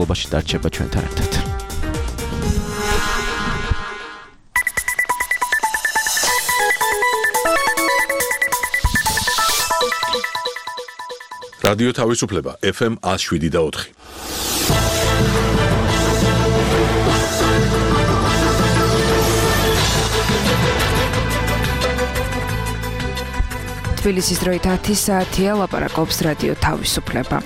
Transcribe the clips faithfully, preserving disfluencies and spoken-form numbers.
განმავლობაში დარჩება ჩვენთან ერთად. რადიო თავისუფლება ეფ ემ one oh seven და four. თბილისის დროით ათი საათია, ლაპარაკობს რადიო თავისუფლება.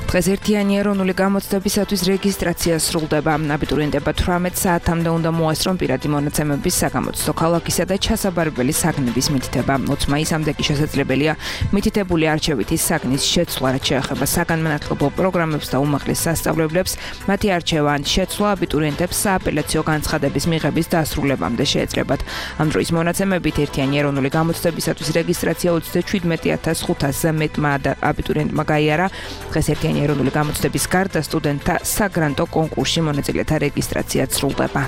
დღეს ერთიანი ეროვნული გამოცდებისათვის რეგისტრაცია სრულდება. აბიტურიენტებმა თვრამეტ საათამდე უნდა მოასწრონ პირადი მონაცემების საგამოცდო ქალაქისა და ჩასაბარებელი საგნების მითითება. ოცი მაისამდე კი შესაძლებელია მითითებული არჩევითი საგნის შეცვლა, რაც შეეხება საგანმანათლებლო პროგრამებს და უმაღლეს სასწავლებლებს. მათი არჩევა ან შეცვლა აბიტურიენტებს სააპელაციო განცხადების მიღების დასრულებამდე შეეძლებათ. ამ დროის მონაცემებით ერთიანი ეროვნული გამოცდებისათვის რეგისტრაცია ოცდაშვიდმეტი ათას ხუთასზე მეტმა აბიტურიენტმა გაიარა. დღეს ერთიანი ეროვნული გამოცდების გარდა სტუდენტთა საგრანტო კონკურსში მონაწილეთა რეგისტრაციაც სრულდება.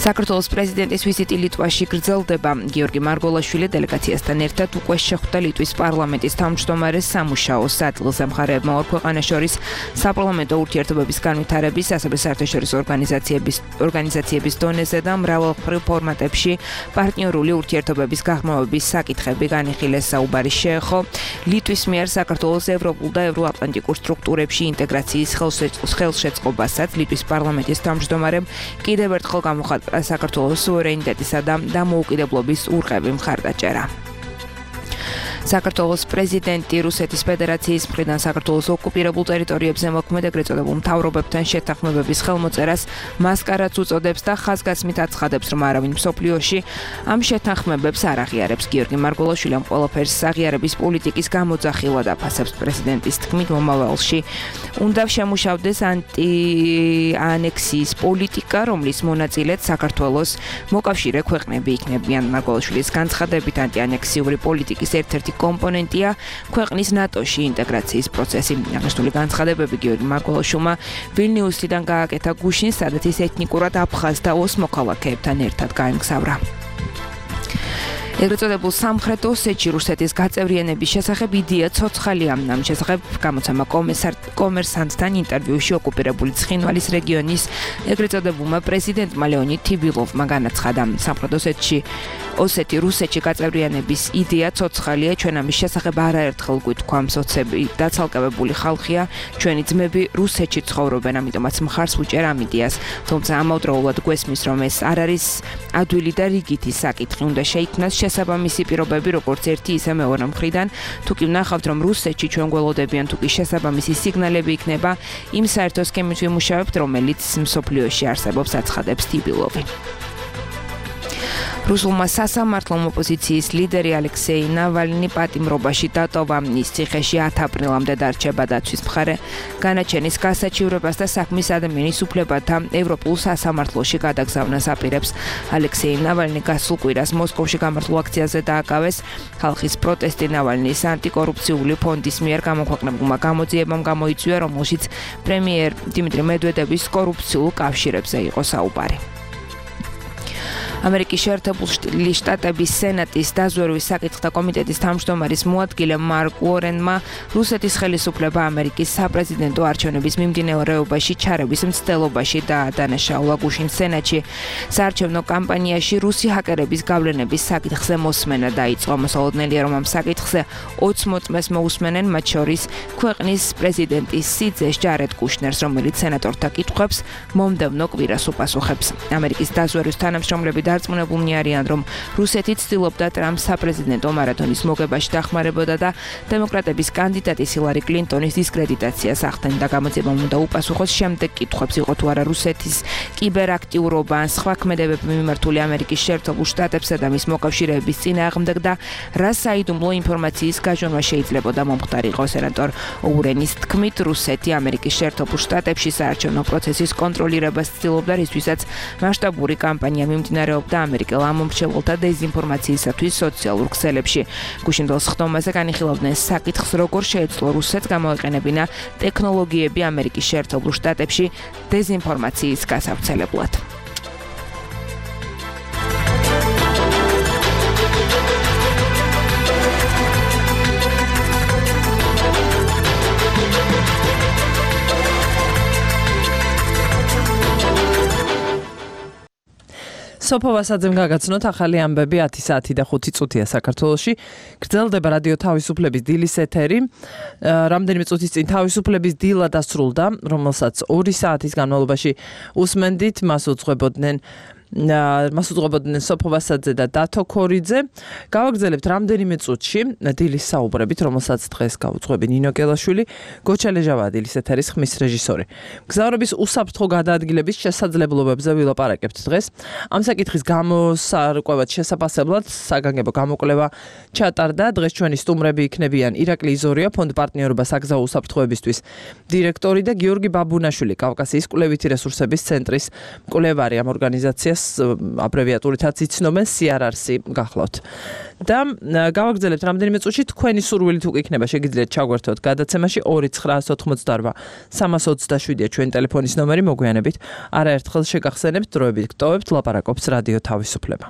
საქართველოს პრეზიდენტის ვიზიტი ლიტვაში გრძელდება. გიორგი მარგოლაშვილი დელეგაციასთან ერთად უკვე შეხვდა ლიტვის პარლამენტის თავმჯდომარეს სამუშაო სადგილზე. მხარეებმა ორ ქვეყანას შორის საპარლამენტო ურთიერთობების განვითარების, ასევე საერთაშორისო ორგანიზაციების ორგანიზაციების დონეზე და მრავალმხრივ ფორმატებში პარტნიორული ურთიერთობების გაღრმავების საკითხები განიხილეს. საუბარი შეეხო ლიტვის მიერ საქართველოს ევროპულ და ევროატლანტიკურ სტრუქტურებში ინტეგრაციის ხელშეწყობასაც. ლიტვის პარლამენტის თავმჯდომარემ კიდევ ერთხელ გამოხატა საქართველოს სუვერენიტეტისა და დამოუკიდებლობის ურყევი მხარდაჭერა. საქართველოს პრეზიდენტი რუსეთის ფედერაციის მხრიდან საქართველოს ოკუპირებულ ტერიტორიებზე მოქმედ ეგრეთ წოდებულ მთავრობებთან შეთანხმებების ხელმოწერას მასკარადს უწოდებს და ხაზგასმით აცხადებს, რომ არავინ მსოფლიოში ამ შეთანხმებებს არ აღიარებს. გიორგი მარგოლაშვილი ამ ყველაფერს აღიარების პოლიტიკის გამოძახილად აფასებს. პრეზიდენტის თქმით, მომავალში უნდა შემუშავდეს ანტიანექსიის პოლიტიკა, რომლის მონაწილეც საქართველოს მოკავშირე ქვეყნები იქნებიან. მარგოლაშვილის განცხადებით, ანტიანექსიური პოლიტიკის ერთ-ერთი კომპონენტია ქვეყნის ნატოში ინტეგრაციის პროცესი. აღნიშნული განცხადებები გიორგი მარგოლაშვილმა ვილნიუსიდან გააკეთა გუშინ, სადაც ის ეთნიკურად აფხაზ და ოს მოქალაქეებთან ერთად გაემგზავრა. ეგრეთ წოდებულ სამხრეთ ოსეთში რუსეთის გაწევრიანების შესახებ იდეა ცოცხალია. ამ შესახებ გამოცემა კომერსანტთან ინტერვიუში ოკუპირებული ცხინვალის რეგიონის ეგრეთ წოდებულმა პრეზიდენტმა ლეონიდ თიბილოვმა განაცხადა. სამხრეთ ოსეთში ოსეთი რუსეთში გაწევრიანების იდეა ცოცხალია. ჩვენ ამის შესახებ არაერთხელ გვითქვამს, ოცები დაცალკევებული ხალხია, ჩვენი ძმები რუსეთში ცხოვრობენ, ამიტომაც მხარს ვუჭერ ამ იდეას. თუმცა ამავდროულად გვესმის, რომ ეს არ არის ადვილი და რიგითი საკითხი. უნდა შეიქმნას შესაბამისი პირობები, როგორც ერთი ისე მეორე მხრიდან. თუ კი ვნახავთ, რომ რუსეთში ჩვენ გველოდებიან, თუ კი შესაბამისი სიგნალები იქნება, იმ საერთო სქემით ვიმუშავებთ, რომელიც მსოფლიოში არსებობს, აცხადებს თიბილოვი. რუსულმა სასამართლომ ოპოზიციის ლიდერი ალექსეი ნავალნი პატიმრობაში დატოვა. ის ციხეში ათი აპრილამდე დარჩება. დაცვის მხარე განაჩენის გასაჩივრებას და საქმის ადამიანის უფლებათა ევროპულ სასამართლოში გადაგზავნას აპირებს. ალექსეი ნავალნი გასულ კვირას მოსკოვში გამართულ აქციაზე დააკავეს. ხალხის პროტესტი ნავალნის ანტიკორუფციული ფონდის მიერ გამოქვეყნებულმა გამოძიებამ გამოიწვია, რომელშიც პრემიერ დიმიტრი მედვედევის კორუფციულ კავშირებზე იყო საუბარი. ამერიკის შეერთებული შტატების სენატის დაზვერვის საკითხთა კომიტეტის თავმჯდომარის მოადგილე მარკ უორენმა რუსეთის ხელისუფლება ამერიკის საპრეზიდენტო არჩევნების მიმდინარეობაში ჩარევის მცდელობაში დაადანაშაულა. გუშინ სენატში საარჩევნო კამპანიაში რუსი ჰაკერების გავლენების საკითხზე მოსმენა დაიწყო. მოსალოდნელია, რომ ამ საკითხზე ოცი მოწმეს მოусმენენ, მათ შორის ქვეყნის პრეზიდენტის სიძეს ჯარედ კუშნერს, რომელიც სენატორთა კითხვებს მომდევნო კვირას უპასუხებს. ამერიკის დაზვერვის თანამშრომლები დარწმუნებულნი არიან, რომ რუსეთი ცდილობდა ტრამპს საპრეზიდენტო მარათონის მოგებაში დახმარებოდა და დემოკრატების კანდიდატის ჰილარი კლინტონის დისკრედიტაციას ახდენდა. გამოძიებამ უნდა უპასუხოს შემდეგ კითხვებს, იყო თუ არა რუსეთის კიბერაქტიურობა ან სხვა ქმედებები მიმართული ამერიკის შეერთებულ შტატებსა და მის მოკავშირეების წინააღმდეგ და რა საიდუმლო ინფორმაციის გაჟონვა შეიძლებოდა მომხდარიყო. სენატორ ოურენის თქმით, რუსეთი ამერიკის შეერთებულ შტატებში საარჩევნო პროცესის კონტროლირებას ცდილობდა, რისთვისაც მასშტაბური კამპანია მიმდინარეობდა ამერიკელ ამომრჩეველთა დეზინფორმაციისათვის სოციალურ ქსელებში. გუშინდელს ხდომაზე განიხილავდნენ საკითხს, როგორ შეეძლო რუსეთს გამოეყენებინა ტექნოლოგიები ამერიკის შეერთებულ შტატებში დეზინფორმაციის გასავრცელებლად. სოფო ვასაძემ გაგაცნოთ ახალი ამბები ათი საათი და ხუთი წუთია საქართველოში. გრძელდება რადიო თავისუფლების დილის ეთერი. რამდენიმე წუთის წინ თავისუფლების დილა დასრულდა, რომელსაც ორი საათის განმავლობაში უსმენდით, მას უძღვებოდნენ მას უძღვებოდნენ სოფო ვასაძე და დათო ქორიძე. გავაგრძელებთ რამდენიმე წუთში დილის საუბრებით, რომელსაც დღეს გაუძღვები ნინო კელაშვილი, გოჩა ლეჟავაა დილის ეთერის ხმის რეჟისორი. მგზავრობის უსაფრთხო გადაადგილების შესაძლებლობებზე ვილაპარაკებთ დღეს. ამ საკითხის გამოსარკვევად შესაფასებლად საგანგებო გამოკვლევა ჩატარდა. დღეს ჩვენი სტუმრები იქნებიან ირაკლი იზორია, ფონდ პარტნიორობა საგზაო უსაფრთხოებისთვის დირექტორი და გიორგი ბაბუნაშვილი, კავკასიის კვლევითი რესურსების ცენტრის მკვლევარი. ამ ორგანიზაციას აბრევიატურითაც იცნობენ სი არ არ-ს გახლავთ. და გავაგრძელებთ რამდენიმე წუთში თქვენი სურვილით უკვე იქნება შეგიძლიათ ჩაგვერთოთ გადაცემაში ორი ცხრაას ოთხმოცდაორვა სამას ოცდაშვიდია ჩვენი ტელეფონის ნომერი, მოგვიანებით არაერთხელ შეგახსენებთ, დროებით გტოვებთ, ლაპარაკობს რადიო თავისუფლება.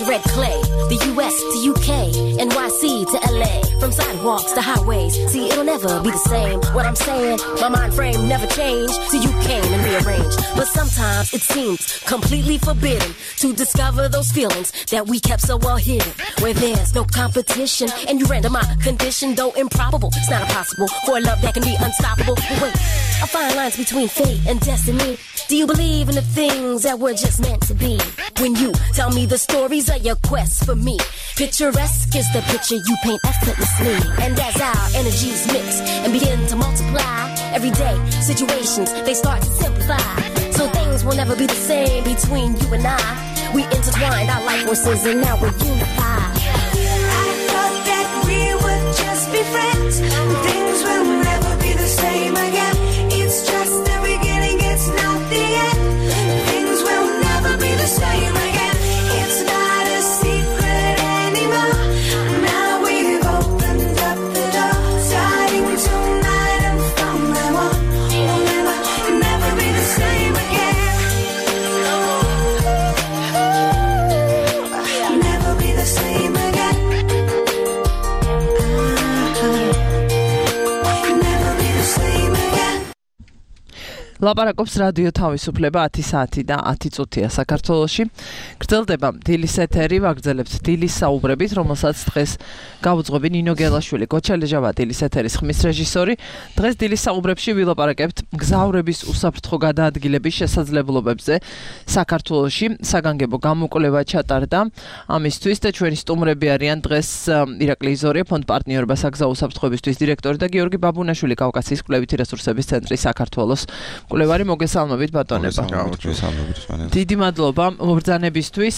Red clay, the U S to U K, N Y C to L A, from sidewalks to highways. See, it'll never be the same. What I'm saying, my mind frame never changed till you came and rearranged. But sometimes it seems completely forbidden to discover those feelings that we kept so well hidden. Where there's no competition and you render my condition, though improbable. It's not impossible for a love that can be unstoppable. But wait, I find lines between fate and destiny. Do you believe in the things that were just meant to be? When you tell me the stories of your quest for me, picturesque is the picture you paint effortlessly. And as our energies mix and begin to multiply, everyday situations, they start to simplify. So things will never be the same between you and I. We intertwined our life forces and now we're unified. I thought that we would just be friends. Things will never be the same again. It's just the beginning, it's not the end. Things will never be the same again. It's not a secret anymore. Now we've opened up the door. Starting tonight and from now on, we'll never, never be the same again. Never be the same. ლაპარაკობს რადიო თავისუფლება ათი საათი და ათი წუთია საქართველოში. გრძელდება დილის ეთერი, ვაგრძელებთ დილის საუბრებით, რომელსაც დღეს გავუძღვები ნინო გელაშვილი, გოჩალეჟავა დილის ეთერის ხმის რეჟისორი. დღეს დილის საუბრებში ვილაპარაკებთ მგზავრების უსაფრთხო გადაადგილების შესაძლებლობებზე საქართველოში. საგანგებო გამოკვლევა ჩატარდა ამისთვის და ჩვენი სტუმრები არიან დღეს ირაკლი იზორია, ფონდ პარტნიორობა საგზაო უსაფრთხოებისთვის დირექტორი და გიორგი ბაბუნაშვილი, კავკასიის კვლევითი რესურსების ცენტრის საქართველოს კვლევარი. მოგესალმებით ბატონებო. დიდი მადლობა მობრძანებისთვის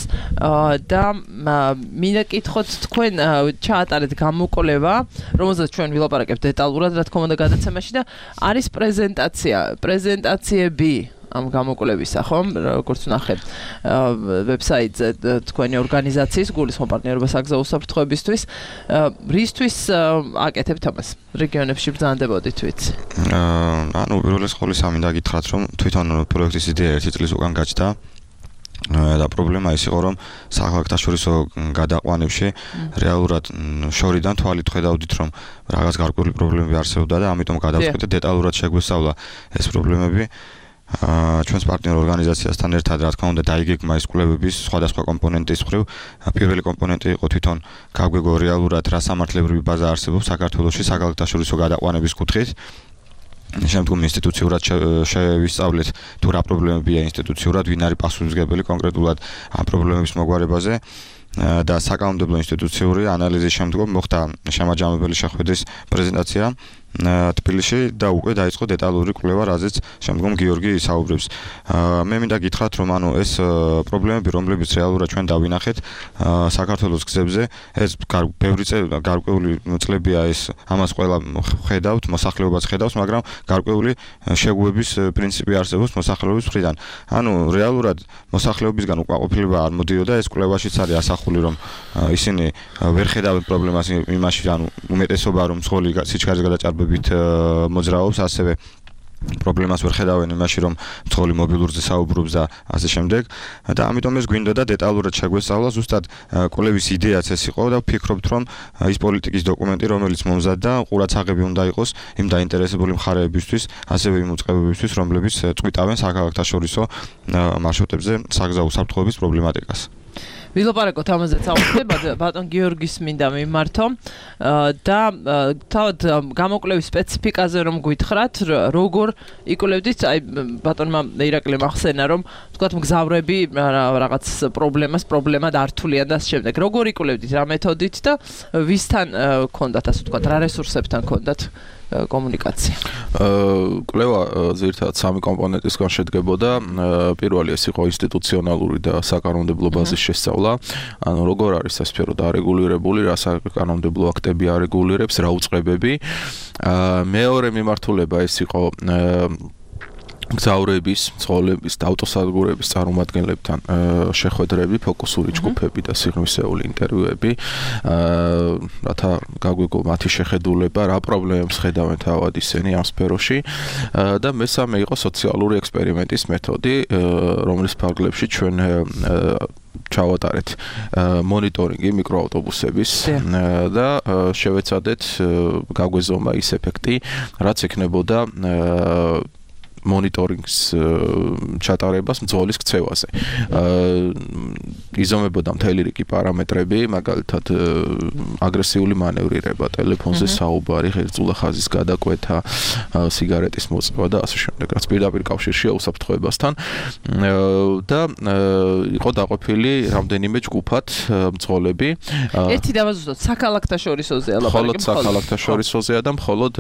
და მინდა კითხოთ, თქვენ ჩაატარეთ გამოკვლევა, რომელზეც ჩვენ ვილაპარაკებთ დეტალურად, რა თქმა უნდა გადაცემაში და არის პრეზენტაცია, პრეზენტაციები ამ გამოკვლევისა, ხომ? როგორც ვნახეთ ვებსაიტზე თქვენი ორგანიზაციის გულისხმობ პარტნიორობა საგზაო უსაფრთხოებისთვის, რისთვის აკეთებთ ამას? რეგიონებში ბრძანდებოდით ვიცი. ანუ პირველის ყოვლისა მინდა გითხრათ, რომ თვითონ პროექტის იდეა ერთი წლის უკან გაჩნდა და პრობლემა ის იყო, რომ საერთაშორისო გადაყვანებში რეალურად შორიდან თვალით ხედავდით, რომ რაღაც გარკვეული პრობლემები არსებობდა და ამიტომ გადავწყვიტეთ დეტალურად შეგვესწავლა ეს პრობლემები. ჩვენს პარტნიორ ორგანიზაციასთან ერთად, რა თქმა უნდა, დაიგეგმა ეს კვლევების სხვადასხვა კომპონენტის მხრივ. პირველი კომპონენტი იყო თვითონ გაგვეგო რეალურად რა სამართლებრივი ბაზა არსებობს საქართველოში საერთაშორისო გადაყვანების კუთხით. შემდგომ ინსტიტუციურად შევისწავლეთ თუ რა პრობლემებია ინსტიტუციურად, ვინ არის პასუხისმგებელი კონკრეტულად ამ პრობლემების მოგვარებაზე და საკანონმდებლო ინსტიტუციური ანალიზის შემდგომ მოხდა შემაჯამებელი შეხვედრის პრეზენტაცია თბილისში და უკვე დაიწყო დეტალური კვლევა, რაზეც შემდგომ გიორგი საუბრებს. მე მინდა გითხრათ, რომ ანუ ეს პრობლემები, რომლებიც რეალურად ჩვენ დავინახეთ საქართველოს გზებზე, ეს ბევრი გარკვეული წლებია ეს ამას ყველა ხედავთ, მოსახლეობაც ხედავს, მაგრამ გარკვეული შეგუების პრინციპი არსებობს მოსახლეობის მხრიდან. ანუ რეალურად მოსახლეობისგან უკმაყოფილება არ მოდიოდა, ეს კვლევაშიც არის ასახული, რომ ისინი ვერ ხედავენ პრობლემას იმაში, ანუ უმეტესობა რომ მძღოლი სიჩქარის გადაჭარბებით მოძრაობს, ასევე პრობლემას ვერ ხედავენ იმაში, რომ მძღოლი მობილურზე საუბრობს და ასე შემდეგ. და ამიტომ ეს გვინდოდა დეტალურად შეგვესწავლა, ზუსტად კვლევის იდეაც ეს იყო და ვფიქრობთ, რომ ის პოლიტიკის დოკუმენტი, რომელიც მომზადდა, ყურაცაღები უნდა იყოს იმ დაინტერესებული მხარეებისთვის, ასევე იმ უწყებებისთვის, რომლებიც წვიტავენ საერთაშორისო მარშრუტებზე საგზაო უსაფრთხოების პრობლემატიკას. ვილაპარაკოთ ამაზე საუბრობთ, ბატონ გიორგის მინდა მიმართო და თავად გამოკვლევის სპეციფიკაზე რომ გითხრათ, როგორ იკვლევდით, აი ბატონმა ირაკლიმ ახსენა, რომ თქვათ მგზავრები რაღაც პრობლემას პრობლემად ართულიან და ამ შემდეგ. როგორ იკვლევდით, რა მეთოდით და ვისთან გქონდათ, ასე ვთქვათ, რა რესურსებთან გქონდათ კომუნიკაცია? კვლევა ძირითადად სამი კომპონენტისგან შედგებოდა. პირველი ეს იყო ინსტიტუციონალური და საკანონმდებლო ბაზის შესწავლა. ანუ როგორ არის ეს სფერო დარეგულირებული, რა საკანონმდებლო აქტები არეგულირებს, რა უწყებები. მეორე მიმართულება ეს იყო მგზავრების, მძღოლების და ავტოსადგურების წარმომადგენლებთან შეხვედრები, ფოკუსური ჯგუფები და სიღრმისეული ინტერვიუები, რათა გაგვიგო მათი შეხედულება, რა პრობლემებს ხედავენ თავად ისინი ამ სფეროში და მესამე იყო სოციალური ექსპერიმენტის მეთოდი, რომლის ფარგლებში ჩვენ ჩავატარეთ მონიტორინგი მიკროავტობუსების და შევეცადეთ გაგვეზომა ის ეფექტი, რაც ექნებოდა მონიტორინგის ჩატარებას მძღოლის ქცევაზე. იზომებოდა მთელი რიგი პარამეტრები, მაგალითად აგრესიული მანევრირება, ტელეფონზე საუბარი, ღერძულა ხაზის გადაკვეთა, სიგარეტის მოწვა და ასე შემდეგ, რაც პირდაპირ კავშირშია უსაფრთხოებასთან და იყო დაყოფილი რამდენიმე ჯგუფად მძღოლები. ერთი დავაზუსტოთ, საქალაქთაშორისოზეა მხოლოდ ლაპარაკი. საქალაქთაშორისოზეა და მხოლოდ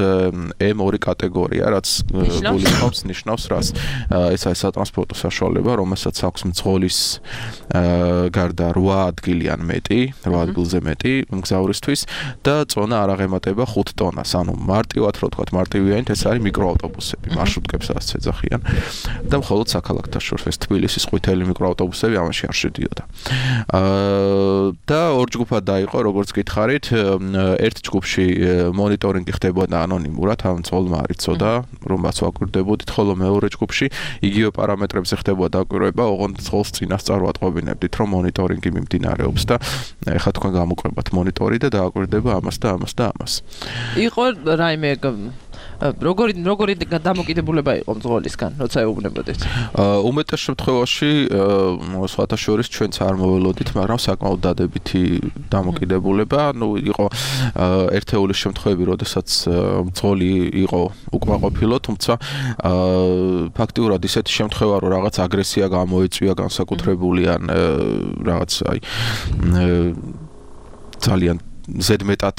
ემ ორი კატეგორია, რაც გულისხმობს ნიშნავს რას. ეს არის სატრანსპორტო საშუალება, რომელსაც აქვს მძღოლის გარდა რვა ადგილი ან მეტი, რვა ადგილზე მეტი მგზავრისთვის და წონა არ აღემატება ხუთ ტონას. ანუ მარტივად რო ვთქვათ, მარტივიანით ეს არის მიკროავტობუსები, მარშრუტკებსაც ეძახიან და მხოლოდ საქალაქთაშორისო ეს თბილისის ყვითელი მიკროავტობუსები ამაში არ შედიოდა. და ორ ჯგუფად დაიყო, როგორც გითხარით, ერთ ჯგუფში მონიტორინგი ხდებოდა ანონიმურად, ამ მძღოლმა არ იცოდა, რომ მას ვაკვირდებოდით, ხოლო მეორე ჯგუფში იგივე პარამეტრებზე ხდებოდა დაკვირვება, ოღონდ მძღოლს წინასწარ ვატყობინებდით, რომ მონიტორინგი მიმდინარეობს და ეხლა თქვენ გამოკრებათ მონიტორი და დააკვირდება ამას და ამას და ამას. იყო რაიმე როგორი როგორი დამოკიდებულება იყო მძღოლისგან, როცა ეუბნებოდით? უმეტეს შემთხვევაში სხვათა შორის ჩვენც არ მოველოდით, მაგრამ საკმაოდ დადებითი დამოკიდებულება, ну იყო ერთეულის შემთხვევები, როდესაც მძღოლი იყო უკმაყოფილო, თუმცა ფაქტიურად ისეთი შემთხვევა, რომ რაღაც აგრესია გამოეწვია განსაკუთრებული ან რაღაც აი ძალიან ზედმეტად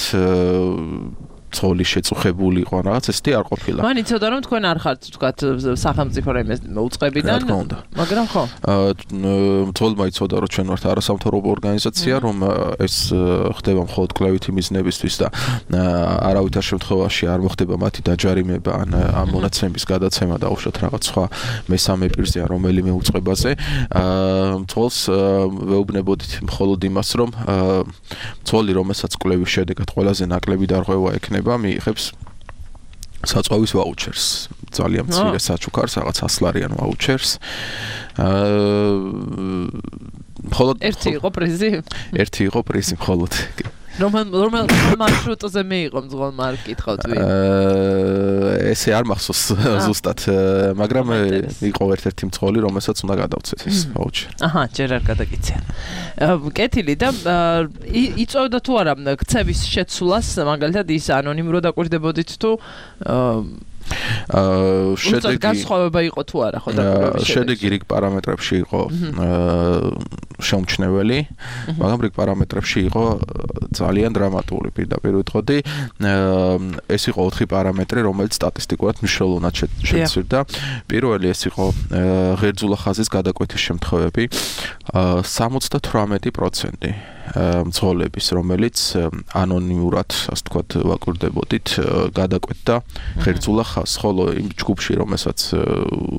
ცოლი შეწუხებული იყო რაღაც ესეთი არ ყოფილა. მან იცოდა რომ თქვენ არ ხართ თქვათ სახელმწიფო რაიმე უწყებიდან, მაგრამ ხო. მძღოლმა იცოდა რომ ჩვენ ვართ არასამთავრობო ორგანიზაცია, რომ ეს ხდება მხოლოდ კვლევითი მიზნებისთვის და არავითარ შემთხვევაში არ მოხდება მათი დაჯარიმება ან ამ მონაცემების გადაცემა და უშოთ რაღაც სხვა მესამე პირზე ან რომელიმე უწყებაზე. მძღოლს ვეუბნებოდით მხოლოდ იმას, რომ მძღოლი, რომელსაც კვლევის შედეგად ყველაზე ნაკლები დარღვევა ექნება მიიღებს საწვავის ვაუჩერს, ძალიან მცირე საჩუქარს, რაღაც ას ლარიან ვაუჩერს. მხოლოდ ერთი იყო პრიზი? ერთი იყო პრიზი მხოლოდ. რომელ რომელ მარშრუტზე მიიღო მძღოლმა არ გკითხავთ ვინ? ესე არ მახსოვს ზუსტად, მაგრამ იყო ერთ-ერთი მძღოლი, რომელსაც უნდა გადავცეთ ეს ვაუჩერი. აჰა, ჯერ არ გადაგიციან. კეთილი და იწევდა თუ არა ქცევის შეცვლას, მაგალითად ის ანონიმურად აკვირდებოდით თუ აა შედეგი განსხვავება იყო თუ არა ხო დაკვირვების შედეგი რიგ პარამეტრებში იყო შეუმჩნეველი, მაგრამ რიგ პარამეტრებში იყო ძალიან დრამატული. პირდაპირ ვიტყოდი, ეს იყო ოთხი პარამეტრი, რომელიც სტატისტიკურად მნიშვნელოვნად შეცვლიდა. პირველი ეს იყო ღერძულა ხაზის გადაკვეთის შემთხვევები, სამოცდათვრამეტი პროცენტი მძღოლების, რომელიც ანონიმურად, ასე ვთქვათ, ვაკვირდებოდით, გადაკვეთდა ღერძულა ხაზს, ხოლო იმ ჯგუფში, რომელსაც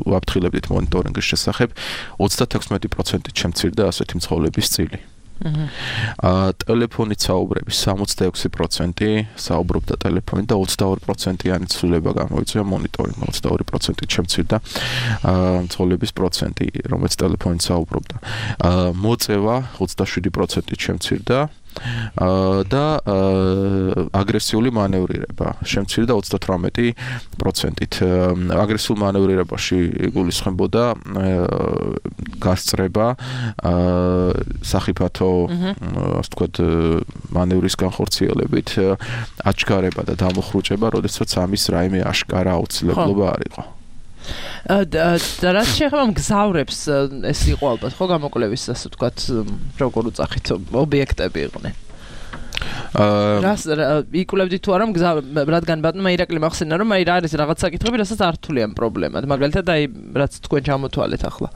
ვაფრთხილებდით მონიტორინგის შესახებ, ოცდათექვსმეტი პროცენტით შემცირდა ასეთი მძღოლების წილი. აა ტელეფონით საუბრები სამოცდაექვსი პროცენტი საუბრობდა ტელეფონით და ოცდაორი პროცენტიანი ცვლილება გამოიწვია მონიტორინგმა, ოცდაორი პროცენტით შემცირდა აა მძღოლების პროცენტი, რომელიც ტელეფონით საუბრობდა. აა მოწევა ოცდაშვიდი პროცენტით შემცირდა და აგრესიული მანევრირება შემცირდა ოცდათვრამეტი პროცენტით. აგრესიულ მანევრირებაში იგულისხმებოდა გასწრება, სახიფათო, ასე ვთქვათ, მანევრის განხორციელებით, აჩქარება და დამოხრუჭება, როდესაც ამის რაიმე აშკარა აუცილებლობა არ იყო. და რაც შეეხება მგზავრებს, ეს იყო ალბათ ხო გამოკვლევის, ასე ვთქვათ, როგორ უწახით ობიექტები იყვნენ. აა რას იკულებდით თუ არა მგზავრებს, რადგან ბატონმა ირაკლი მახსენა რომ აი რა არის რაღაც საკითხები, რასაც არ თვლიან პრობლემად, მაგალითად აი რაც თქვენ ჩამოთვალეთ ახლა.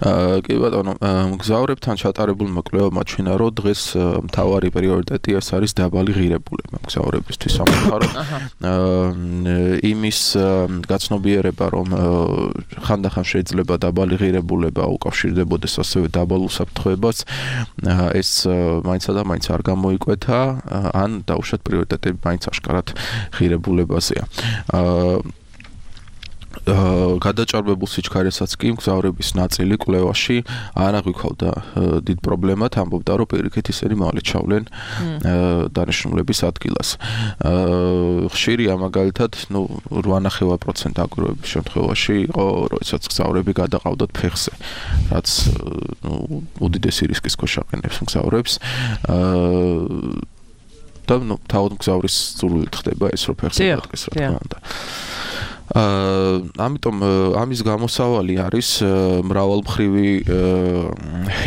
აა კი ბატონო, მგზავრებთან ჩატარებულმა კვლევებმა ჩვენა რომ დღეს მთავარი პრიორიტეტი ეს არის დაბალი ღირებულება მგზავრებისთვის სამწუხაროდ. აა იმის გაცნობიერება რომ ხანდახან შეიძლება დაბალი ღირებულება უკავშირდებოდეს ასევე დაბალ უსაფრთხოებას, ეს მაინცა და მაინც არ გამოიკვეთა ან დაუშვათ პრიორიტეტები მაინც აშკარად ღირებულებაზეა. აა გადაჭარბებულ სიჩქარესაც კი მგზავრების ნაწილი კვლევაში არ აღვიქავდა დიდ პრობლემად, ამბობდა რომ პირიქით ისინი მალე ჩავლენ დანიშნულების ადგილას. ხშირია მაგალითად, ნუ რვანახევარ პროცენტი აკვირვების შემთხვევაში იყო, როდესაც მგზავრები გადაყავდათ ფეხზე, რაც ნუ უდიდესი რისკის ქვეშ აყენებს მგზავრებს. და ნუ თავად მგზავრის სურვილით ხდება ეს რომ ფეხზე დადგეს, რა თქმა უნდა. აა ამიტომ ამის გამოსავალი არის მრავალმხრივი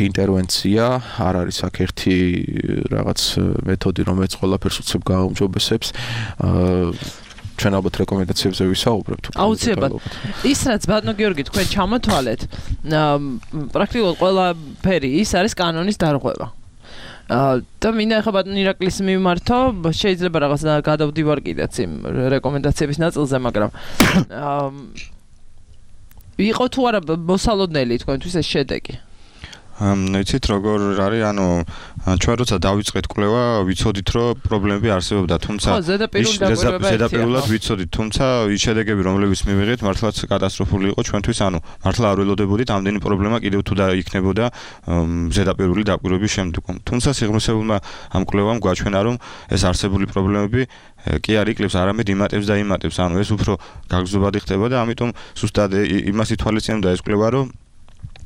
ინტერვენცია, არ არის აქ ერთი რაღაც მეთოდი, რომელიც ყველაფერს უცებ გააუმჯობესებს. აა ჩვენ ალბათ რეკომენდაციებზე ვისაუბრებთ. აუცილებლად. ის რაც ბატონო გიორგი თქვენ ჩამოთვალეთ, პრაქტიკულად ყველაფერი ის არის კანონის დარღვევა. და მინდა ახლა ბატონ ირაკლის მიმართო, შეიძლება რაღაც გადავდივარ კიდეც იმ რეკომენდაციების ნაწილზე, მაგრამ იყო თუ არა მოსალოდნელი თქვენთვის ეს შედეგი? იცით როგორ არის, ანუ ჩვენ როცა დავიწყეთ კვლევა, ვიცოდით რომ პრობლემები არსებობდა, თუმცა ზედაპირულად ვიცოდით, თუმცა ის შედეგები, რომლებიც მივიღეთ, მართლაც კატასტროფული იყო ჩვენთვის, ანუ მართლა არ ველოდებოდით ამდენი პრობლემა კიდევ თუ დაიქნებოდა ზედაპირული დაკვირვების შემდგომ. თუმცა სიღრმისეულმა ამ კვლევამ გვაჩვენა, რომ ეს არსებული პრობლემები კი არ იკლებს, არამედ იმატებს და იმატებს, ანუ ეს უფრო გაგრძნობადი ხდება და ამიტომ ზუსტად იმას ითვალისწინებდა ეს კვლევა, რომ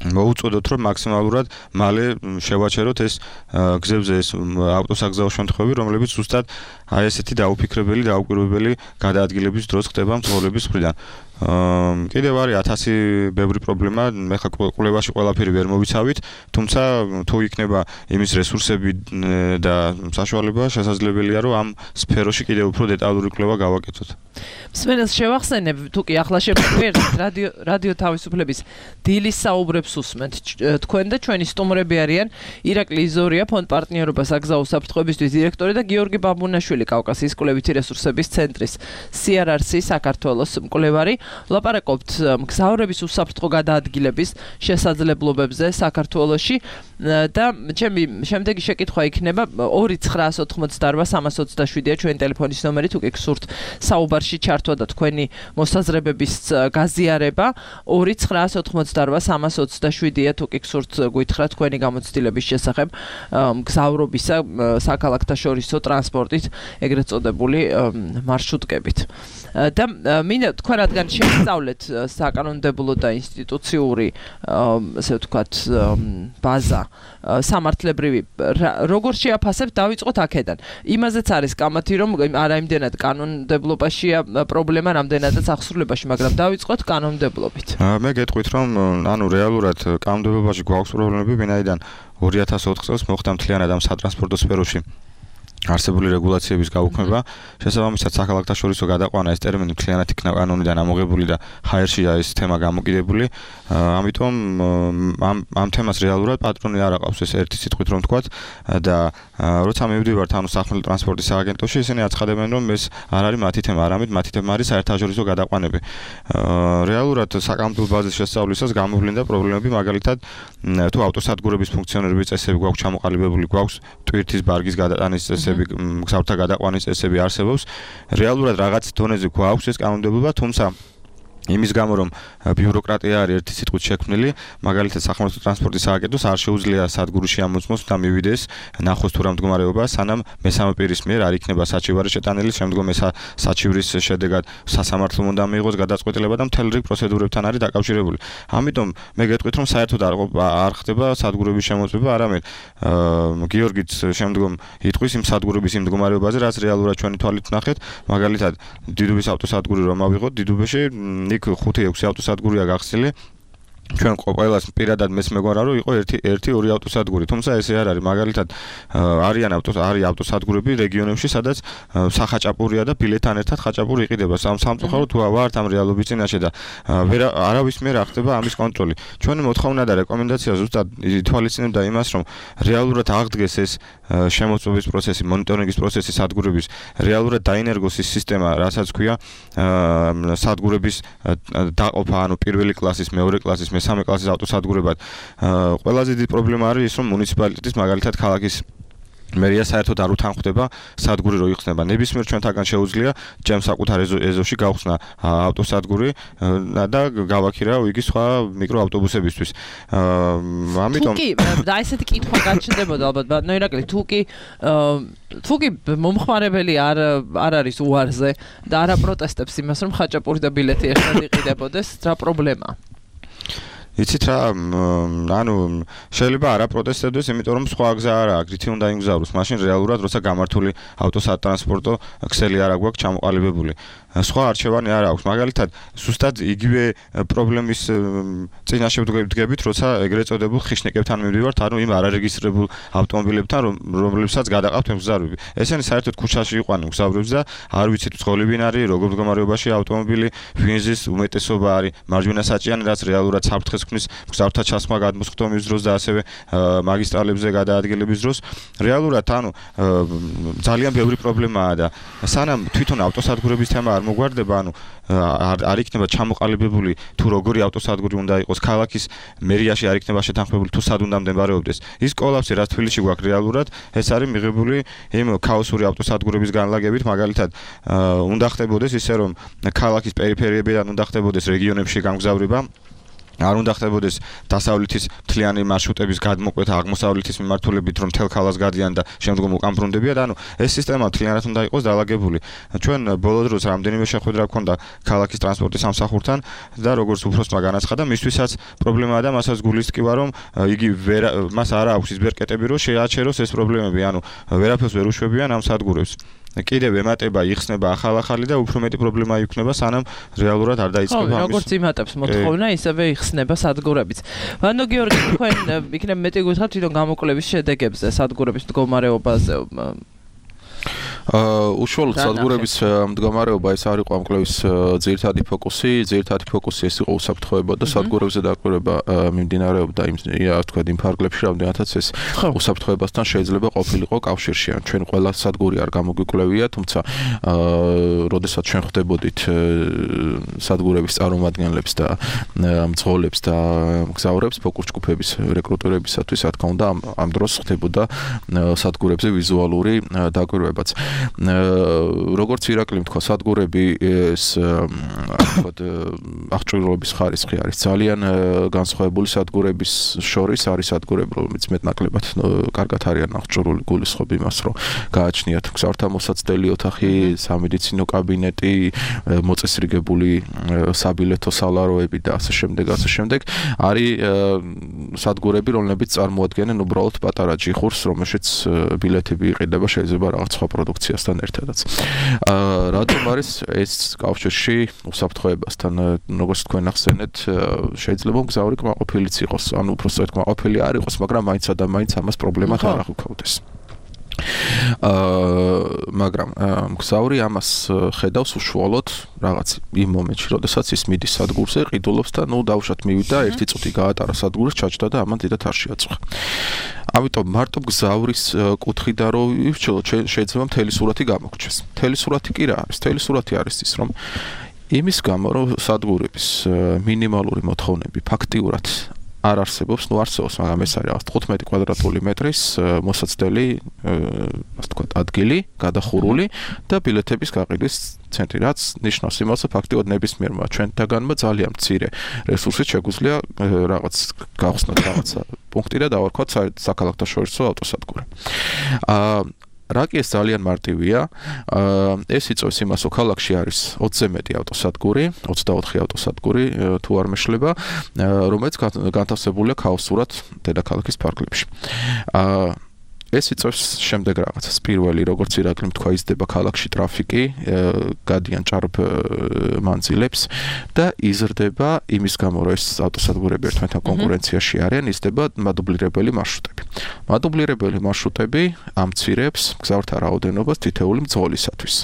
მოუწოდოთ რომ მაქსიმალურად მალე შევაჩეროთ ეს გზებზე ეს ავტოსაგზაო შემთხვევები, რომლებიც ზუსტად აი ესეთი დაუფიქრებელი, დაუკვირვებელი გადაადგილების დროს ხდება მცხოვრების მხრიდან. კიდევ არის ათასი ბევრი პრობლემა, მე ხა კვლევაში ყველაფერი ვერ მოვიცავით, თუმცა თუ იქნება იმის რესურსები და საშუალება, შესაძლებელია რომ ამ სფეროში კიდევ უფრო დეტალური კვლევა გავაკეთოთ. მსმენელს შევახსენებ, თუ კი ახლა შემოგვიერთდით რადიო რადიო თავისუფლების დილის საუბრებს უსმენთ. თქვენ და ჩვენი სტუმრები არიან ირაკლი იზორია, ფონდ პარტნიორობა საგზაო საფრთხეებისთვის დირექტორი და გიორგი ბაბუნაშვილი, კავკასიის კვლევითი რესურსების ცენტრის სი არ არ სი საქართველოს მკვლევარი. ლაპარაკობთ მგზავრების უსაფრთხო გადაადგილების შესაძლებლობებზე საქართველოში და ჩემი შემდეგი შეკითხვა იქნება ორი ცხრაას ოთხმოცდაორვა სამას ოცდაშვიდია ჩვენი ტელეფონის ნომერი, თუ კი გსურთ საუბარში ჩართვა და თქვენი მოსაზრებების გაზიარება, ორი ცხრაას ოთხმოცდაორვა სამას ოცდაშვიდია, თუ კი გსურთ გითხრათ თქვენი გამოცდილების შესახებ მგზავრობისა საქალაქთაშორისო ტრანსპორტით, ეგრეთ წოდებული მარშრუტკებით. და მინდა თქვენ რადგან შევსწავლეთ საკანონმდებლო და ინსტიტუციური ასე ვთქვათ ბაზა სამართლებრივი, როგორ შეაფასებთ, დავიწყოთ აქედან. იმაზეც არის კამათი, რომ არა იმდენად კანონმდებლობაშია პრობლემა, რამდენადაც აღსრულებაში, მაგრამ დავიწყოთ კანონმდებლობით. მე გეტყვით, რომ ანუ რეალურად კანონმდებლობაში გვაქვს პრობლემები, ვინაიდან ორი ათას ოთხ წელს მოხდა მთლიანად ამ სატრანსპორტო სფეროში არსებული რეგულაციების გაუქმება, შესაბამისად საქალაქთაშორისო გადაყვანა ეს ტერმინი მთლიანად იქნა კანონიდან ამოღებული და ჰაერშია ეს თემა გამოკიდებული. ამიტომ ამ ამ თემას რეალურად პატრონი არ აყავს, ეს ერთი სიტყვით რომ ვთქვათ და როცა მივდივართ ანუ სახმელეთო ტრანსპორტის სააგენტოში, ისინი აცხადებენ, რომ ეს არ არის მათი თემა, არამედ მათი თემა არის საერთაშორისო გადაყვანები. რეალურად საკანონმდებლო ბაზის შესწავლისას გამოვლინდა პრობლემები, მაგალითად თუ ავტოსადგურების ფუნქციონირების წესები გვაქვს ჩამოყალიბებული, გვაქვს ტვირთის ბარგის გადატანის წესები, მგზავრთა გადაყვანის წესები არსებობს. რეალურად რაღაც დონეზე გვაქვს ეს კანონმდებლობა, თუმცა იმის გამო რომ ბიუროკრატია არის ერთი სიტყვით შექმნილი, მაგალითად სახმელეთო ტრანსპორტის სააგენტოს არ შეუძლია სადგურში ამოწმოს და მივიდეს ნახოს თუ რა მდგომარეობა, სანამ მესამე პირის მიერ არ იქნება საჩივარი შეტანილი, შემდგომ ეს საჩივრის შედეგად სასამართლომ უნდა მიიღოს გადაწყვეტილება და მთელი რიგი პროცედურებთან არის დაკავშირებული. ამიტომ მე გეტყვით, რომ საერთოდ არ ხდება სადგურების შემოწმება, არამედ გიორგიც შემდგომ იტყვის იმ სადგურების იმ მდგომარეობაზე, რაც რეალურად ჩვენი თვალით ვნახეთ, მაგალითად დიდუბის ავტოსადგური რომ ავიღოთ, დიდუბეში იქ ხუთი ექვსი ავტოსადგურია გახსნილი. ჩვენ ყველას პირადად მეც მეგონა რომ იყო ერთი ერთი ორი ავტოსადგური, თუმცა ესე არ არის. მაგალითად არიან ავტოს არის ავტოსადგურები რეგიონებში, სადაც სახაჭაპურია და ბილეთთან ერთად ხაჭაპური იყიდება. სამ სამწუხაროდ თუ ვართ ამ რეალობის წინაშე და ვერ არავის მიერ არ ხდება ამის კონტროლი. ჩვენი მოთხოვნა და რეკომენდაცია ზუსტად ითვალისწინებდა იმას, რომ რეალურად აღდგეს ეს შემოწმების პროცესი, მონიტორინგის პროცესი სადგურების, რეალურად დაინერგოს ის სისტემა, რასაც ქვია სადგურების დაყოფა, ანუ პირველი კლასის, მეორე კლასის, მესამე კლასის ავტოსადგურებად. ყველაზე დიდი პრობლემა არის ის, რომ მუნიციპალიტეტის მაგალითად ქალაქის მერია საერთოდ არ უთანხმდება სადგური რო იხსნება. ნებისმიერ ჩვენთაგან შეუძლია ჩემ საკუთარ ეზოში გავხსნა ავტოსადგური და გავაქირა იგი სხვა მიკროავტობუსებისთვის. ამიტომ თუკი და ესეთი კითხვა გაჩნდებოდა ალბათ, ბატონო ირაკლი, თუკი თუკი მომხმარებელი არ არ არის უარზე და არ აპროტესტებს იმას, რომ ხაჭაპური და ბილეთი ერთად იყიდებოდეს, რა პრობლემაა? იცით რა, ანუ შეიძლება არ აპროტესტებდეს, იმიტომ რომ სხვა გზა არ აქვს, რითი უნდა იმგზავროს. მაშინ რეალურად როცა გამართული ავტოსატრანსპორტო ქსელი არ აქვს ჩამოყალიბებული. სხვა არჩევანი არ აქვს. მაგალითად, ზუსტად იგივე პრობლემის წინაშე ვდგებით, როცა ეგრეთ წოდებულ ხიშნიკებთან მივდივართ, ანუ იმ არარეგისტრირებულ ავტომობილებთან, რომლებსაც გადაყავთ მგზავრები. ესენი საერთოდ ქუჩაში იყვნენ მგზავრებს და არ ვიცით წყოლებინ არის, როგორ მდგომარეობაში ავტომობილი, ვინზის უმეტესობა არის მარჯვენა საჭიანი, რაც რეალურად საფრთხეს ქმნის მგზავრთა ჩასხმა გადმოსხდომის დროს და ასევე მაგისტრალებზე გადაადგილების დროს. რეალურად ანუ ძალიან ბევრი პრობლემაა და სანამ თვითონ ავტოსადგურების თემა არ მოგვარდება, ანუ არ იქნება ჩამოყალიბებული თუ როგორი ავტოსადგური უნდა იყოს ქალაქის მერიაში არ იქნება შეთანხმებული თუ სად უნდა მდებარეობდეს. ის კოლაფსი რაც თბილისში გვაქვს რეალურად, ეს არის მიღებული იმ ქაოსური ავტოსადგურების განლაგებით, მაგალითად, უნდა ხდებოდეს ისე რომ ქალაქის პერიფერიებიდან უნდა ხდებოდეს რეგიონებში გამგზავრება. არ უნდა ხდებოდეს დასავლეთის მთლიანი მარშრუტების გადმოკვეთა აღმოსავლეთის მიმართულებით, რომ მთელ ქალაქს გადიან და შემდგომ უკან ბრუნდებიან. ანუ ეს სისტემა მთლიანად უნდა იყოს დალაგებული. ჩვენ ბოლო დროს რამდენიმე შეხვედრა გქონდა ქალაქის ტრანსპორტის სამსახურთან და როგორც უფროსმა განაცხადა, მისთვისაც პრობლემაა და მასაც გულის ტკივა, რომ იგი ვერ მას არ აქვს ის ბერკეტები, რომ შეაჩეროს ეს პრობლემები, ანუ ვერაფერს ვერ უშვებიან ამ სადგურებს. კიდევ ემატება, იხსნება ახალ-ახალი და უფრო მეტი პრობლემა იქნება, სანამ რეალურად არ დაიწყება ამის. როგორც იმატებს მოთხოვნა, ისევე იხსნება სადგურებიც. ვანდო გიორგი, თქვენ იქნებ მეტი გითხრათ თვითონ გამოკვლევის შედეგებზე, სადგურების მდგომარეობაზე. აა უშუალოდ სადგურების მდგომარეობა ეს არ იყო ამ კვლევის ძირითადი ფოკუსი, ძირითადი ფოკუსი ეს იყო უსაფრთხოება და სადგურებზე დაკვირვება მიმდინარეობდა იმ თქვა იმ ფარგლებში, რამდენადაც ეს უსაფრთხოებასთან შეიძლება ყოფილიყო კავშირში. ჩვენ ყველა სადგური არ გამოგვიკვლევია, თუმცა აა როდესაც ჩვენ ხვდებოდით სადგურების წარმომადგენლებს და მძღოლებს და მგზავრებს ფოკუს ჯგუფების რეკრუტირებისათვის, რა თქმა უნდა, ამ დროს ხდებოდა სადგურებზე ვიზუალური დაკვირვებაც. როგორც ირაკლიმ თქვა, სადგურები ეს თქვა აღჭურვილობის ხარისხი არის ძალიან განსხვავებული სადგურების შორის, არის სადგურები, რომლებიც მეტნაკლებად კარგად არიან აღჭურვილი, გულისხმობ იმას, რომ გააჩნიათ მგზავრთა მოსაცდელი ოთახი, სამედიცინო კაბინეტი, მოწესრიგებული საბილეთო სალაროები და ასე შემდეგ, ასე შემდეგ. არის სადგურები, რომლებიც წარმოადგენენ უბრალოდ პატარა ჯიხურს, რომელშიც ბილეთები იყიდება, შეიძლება რაღაც სხვა პროდუქციასთან ერთადაც. აა რატომ არის ეს კავშირში უსაფრთხოებასთან, როგორც თქვენ ახსენეთ, შეიძლება მგზავრი კმაყოფილიც იყოს, ანუ უბრალოდ კმაყოფილი არ იყოს, მაგრამ მაინც და მაინც ამას პრობლემად არ აღუქავდეს. აა მაგრამ მგზავრი ამას ხედავს უშუალოდ რაღაც იმ მომენტში, როდესაც ის მიდის სადგურზე, ყიდულობს და ნუ დავუშვათ მივიდა, ერთი წუთი გაატარა სადგურს, ჩაჭდა და ამან დიდად არ შეაწუხა. ამიტომ მარტო მგზავრის კუთხიდან რო ივჩელოთ, შეიძლება მთელი სურათი გამოგჩეს. მთელი სურათი კი რა არის? მთელი სურათი არის ის, რომ იმის გამო, რომ სადგურების მინიმალური მოთხოვნები ფაქტიურად არ არსებობს, ნუ არსებობს, მაგრამ ეს არის რაღაც თხუთმეტი კვადრატული მეტრის მოსაცდელი, ასე ვთქვათ, ადგილი, გადახურული და ბილეთების გაყიდვის ცენტრი, რაც ნიშნავს იმას, რომ ფაქტიურად ნებისმიერმა ჩვენთაგანმა ძალიან მცირე რესურსით შეგვიძლია რაღაც გავხსნათ რაღაცა პუნქტი და დავარქვათ საქალაქთაშორისო ავტოსადგური. აა რა კი ეს ძალიან მარტივია. ეს იწვევს იმას, რომ ქალაქში არის ოცზე მეტი ავტოსადგური, ოცდაოთხი ავტოსადგური თუ არ მეშლება, რომელიც განთავსებულია ქაოსურად დედაქალაქის ფარგლებში. ეს იწვევს შემდეგ რაღაცას. პირველი, როგორც ირაკლიმ თქვა, იზრდება ქალაქში ტრაფიკი, გადიან ჭარბ მანძილებს და იზრდება იმის გამო, რომ ეს ავტოსადგურები ერთმანეთთან კონკურენციაში არიან, იზრდება მადუბლირებელი მარშრუტები. მადუბლირებელი მარშრუტები ამცირებს მგზავრთა რაოდენობას თითეული მძღოლისათვის.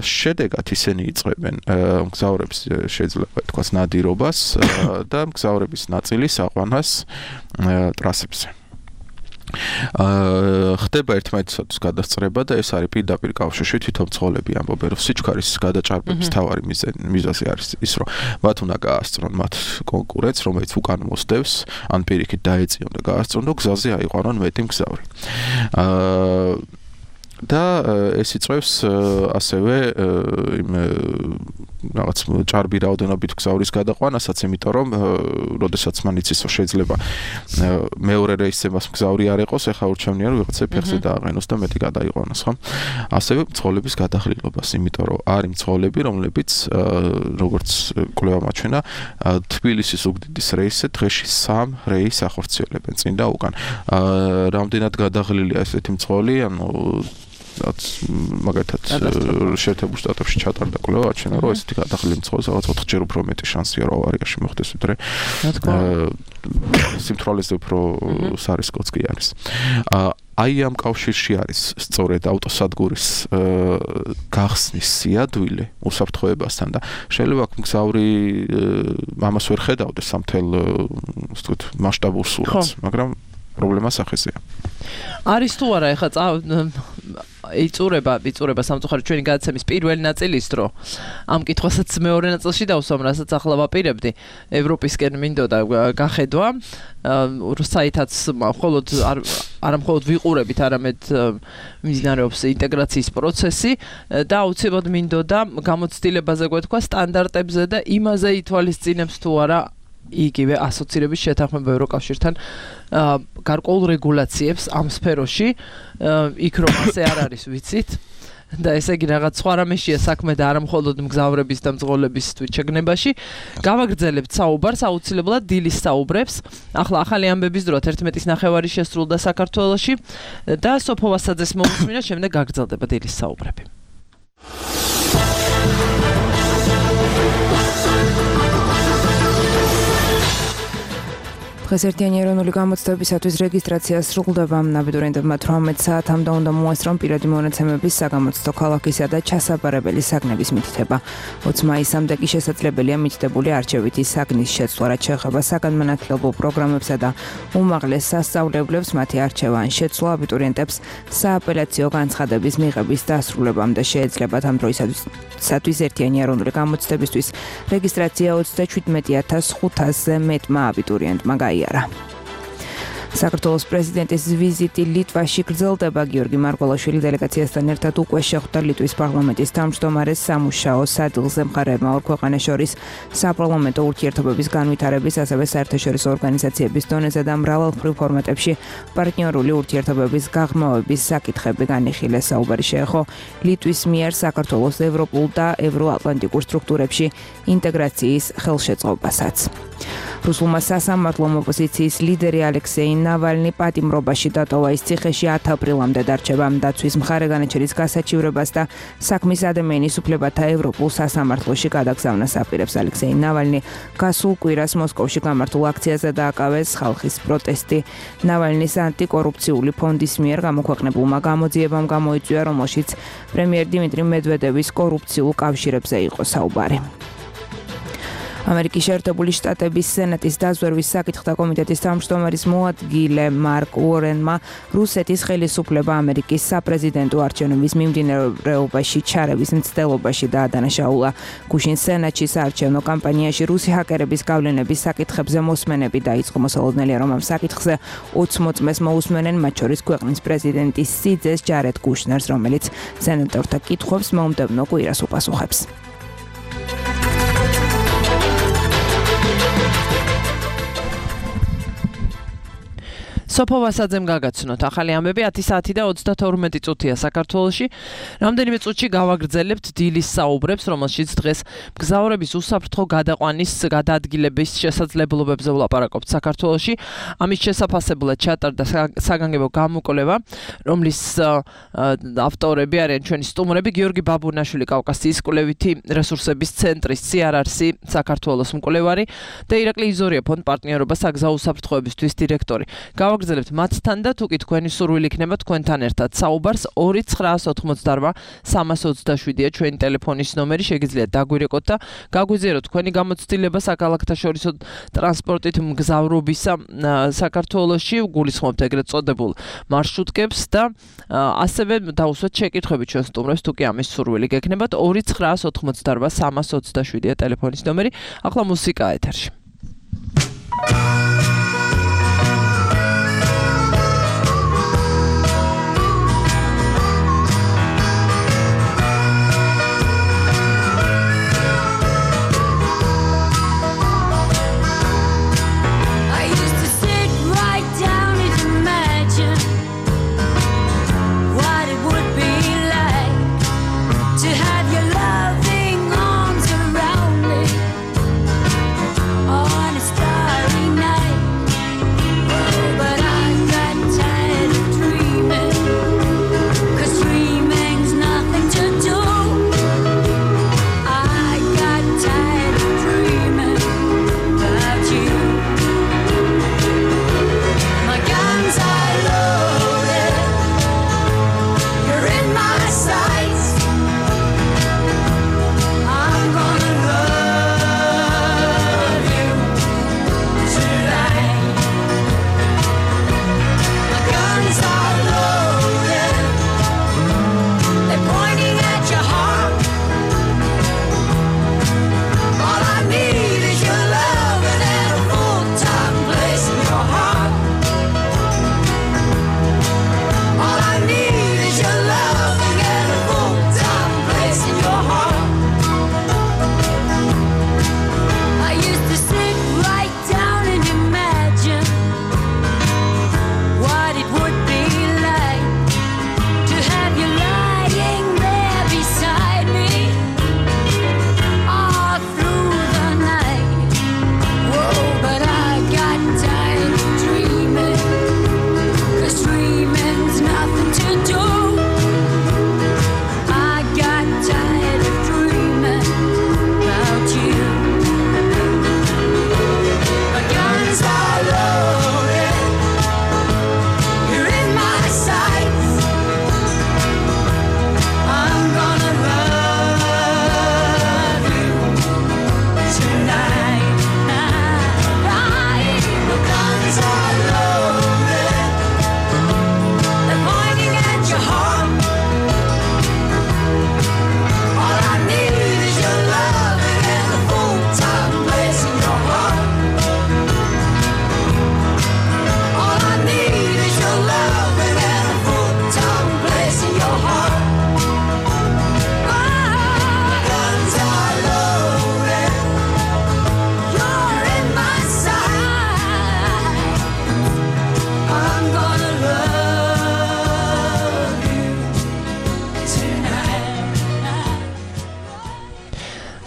შედეგად ისინი იწვევენ მგზავრებს შეიძლება თქვას ნადირობას და მგზავრების ნაწილის აყვანას ტრასებზე. აა ხდება ერთმანეთისათვის გადასწრება და ეს არის პირდაპირ კავშირში თვითონ მძღოლები ამბობენ, რომ სიჩქარის გადაჭარბების მთავარი მიზეზი არის ის, რომ მათ უნდა გაასწრონ მათ კონკურენტს, რომელიც უკან მოსდევს, ან პირიქით დაეწიონ და გაასწრონ და გზაზე აიყვანონ მეტი მგზავრი. აა და ეს იწვევს ასევე იმ რაღაც ჭარბი რაოდენობით გზავრის გადაყვანასაც, იმიტომ რომ როდესაც მან იცის, რომ შეიძლება მეორე რეისზე მას მგზავრი არ იყოს, ეხლა ურჩევნია რომ ვიღაცა ფეხზე დააყენოს და მეტი გადაიყვანოს, ხო? ასევე მძღოლების გადაღლილობას, იმიტომ რომ არის მძღოლები, რომლებიც როგორც კვლევა მაჩვენა, თბილისის უგდიდის რეისზე დღეში სამ რეისს ახორციელებენ წინ და უკან. რამდენად გადაღლილია ესეთი მძღოლი, ანუ მაგათაც შეერთებულ შტატებში ჩატარდა კვლევა, აჩვენა, რომ ესეთი გადაღლილი მძღოლის რაღაც ოთხჯერ უფრო მეტი შანსია, რომ ავარიაში მოხდეს, ვიდრე სიმთვრალეზე უფრო სარისკოც კი არის. აი ამ კავშირში არის სწორედ ავტოსადგურის გახსნის სიადვილი უსაფრთხოებასთან და შეიძლება მგზავრი ამას ვერ ხედავდეს სამთელ ვთქვით მასშტაბურ სურათს, მაგრამ პრობლემა სახეზეა. არის თუ არა ეხლა იწურება, იწურება სამწუხაროდ ჩვენი გადაცემის პირველი ნაწილის დრო. ამ კითხვასაც მეორე ნაწილში დავსვამ, რასაც ახლა ვაპირებდი. ევროპისკენ მინდოდა გახედვა. საითაც მხოლოდ არა მხოლოდ ვიყურებით, არამედ მიმდინარეობს ინტეგრაციის პროცესი და აუცილებლად მინდოდა გამოცდილებაზე გვეთქვა სტანდარტებზე და იმაზე ითვალისწინებს თუ არა იგივე ასოცირების შეთანხმება ევროკავშირთან გარკვეულ რეგულაციებს ამ სფეროში, იქ რომ ასე არ არის ვიცით. და ესე იგი რაღაც სხვა რამეშია საქმე და არა მხოლოდ მგზავრების და მძღოლების თვითშეგნებაში. გავაგრძელებთ საუბარს აუცილებლად დილის საუბრებს. ახლა ახალი ამბების დრო თერთმეტის ნახევარი შესრულდა საქართველოში და სოფო ვასაძეს მოусმინა, შემდეგ გაგრძელდება დილის საუბრები. დღეს ერთიანი ეროვნული გამოცდებისათვის რეგისტრაცია სრულდება. აბიტურიენტებმა თვრამეტ საათამდე უნდა მოასწრონ პირადი მონაცემების საგამოცდო ქალაქისა და ჩასაბარებელი საგნების მითითება. ოცი მაისამდე კი შესაძლებელია მითითებული არჩევითი საგნის შეცვლა, რაც შეეხება საგანმანათლებლო პროგრამებსა და უმაღლეს სასწავლებლებს მათი არჩევა ან შეცვლა აბიტურიენტებს სააპელაციო განცხადების მიღების დასრულებამდე შეეძლებათ. ამ დროისათვის ერთიანი ეროვნული გამოცდებისთვის რეგისტრაცია ოცდაშვიდმეტი ათას ხუთასზე მეტმა აბიტურიენტმა გაიარა. საქართველოს პრეზიდენტის ვიზიტი ლიტვაში გრძელდება. გიორგი მარგველაშვილი დელეგაციასთან ერთად უკვე შეხვდა ლიტვის პარლამენტის თავმჯდომარეს სამუშაო სადილზე. მხარეებმა ორ ქვეყანას შორის საპარლამენტო ურთიერთობების განვითარების, ასევე საერთაშორისო ორგანიზაციების დონეზე და მრავალმხრივ ფორმატებში პარტნიორული ურთიერთობების გაღრმავების საკითხები განიხილეს. საუბარი შეეხო ლიტვის მიერ საქართველოს ევროპულ და ევროატლანტიკურ სტრუქტურებში ინტეგრაციის ხელშეწყობასაც. რუსულმა სასამართლომ ოპოზიციის ლიდერი ალექსეი ნავალნი პატიმრობაში დატოვა. ის ციხეში ათი აპრილამდე დარჩება. დაცვის მხარე განაჩენის გასაჩივრებას და საქმის ადამიანის უფლებათა ევროპულ სასამართლოში გადაგზავნას აპირებს. ალექსეი ნავალნი გასულ კვირას მოსკოვში გამართულ აქციაზე დააკავეს ხალხის პროტესტი. ნავალნის ანტიკორუფციული ფონდის მიერ გამოქვეყნებულმა გამოძიებამ გამოიწვია, რომელშიც პრემიერ დიმიტრი მედვედევის კორუფციულ კავშირებზე იყო საუბარი. ამერიკის შეერთებული შტატების სენატის დაზვერვის საკითხთა კომიტეტის თავმჯდომარის მოადგილე მარკ უორენმა რუსეთის ხელისუფლება ამერიკის საპრეზიდენტო არჩევნების მიმდინარეობაში ჩარევის მცდელობაში დაადანაშაულა. გუშინ სენატში საარჩევნო კამპანიაში რუსი ჰაკერების გავლენების საკითხებზე მოსმენები დაიწყო. მოსალოდნელია, რომ ამ საკითხზე ოცი მოწმეს მოусმენენ, მათ შორის ქვეყნის პრეზიდენტის სიძეს ჯარედ კუშნერს, რომელიც სენატორთა კითხვებს მომდევნო კვირას უპასუხებს. სოფო ვასაძემ გაგაცნოთ ახალი ამბები. ათი საათი და ოცდათორმეტი წუთია საქართველოში. რამდენიმე წუთში გავაგრძელებთ დილის საუბრებს, რომელშიც დღეს მგზავრების უსაფრთხო გადაყვანის გადაადგილების შესაძლებლობებზე ვლაპარაკობთ საქართველოში. ამის შესაფასებლად ჩატარდა საგანგებო გამოკვლევა, რომლის ავტორები არიან ჩვენი სტუმრები გიორგი ბაბუნაშვილი, კავკასიის კვლევითი რესურსების ცენტრის სი არ არ სი საქართველოს მკვლევარი და ირაკლი იზორია ფონდ პარტნიორობა საგზაო უსაფრთხოებისთვის დირექტორი. გავაგრძელებთ მათთან და თუ კი თქვენი სურვილი იქნება თქვენთან ერთად საუბარს. ორი ცხრაას ოთხმოცდაosem სამას ოცდაშვიდია ჩვენი ტელეფონის ნომერი. შეგიძლიათ დაგვირეკოთ და გაგვიზიაროთ თქვენი გამოცდილება საქალაქთაშორისო ტრანსპორტით მგზავრობისა საქართველოში. გულისხმობთ ეგრეთ წოდებულ მარშრუტკებს და ასევე დაუსვათ შეკითხვები ჩვენ სტუმრებს თუ კი ამის სურვილი გექნებათ. ორი ცხრაას ოთხმოცდაosem სამას ოცდაშვიდია ტელეფონის ნომერი. ახლა მუსიკა ეთერში. On a starry night.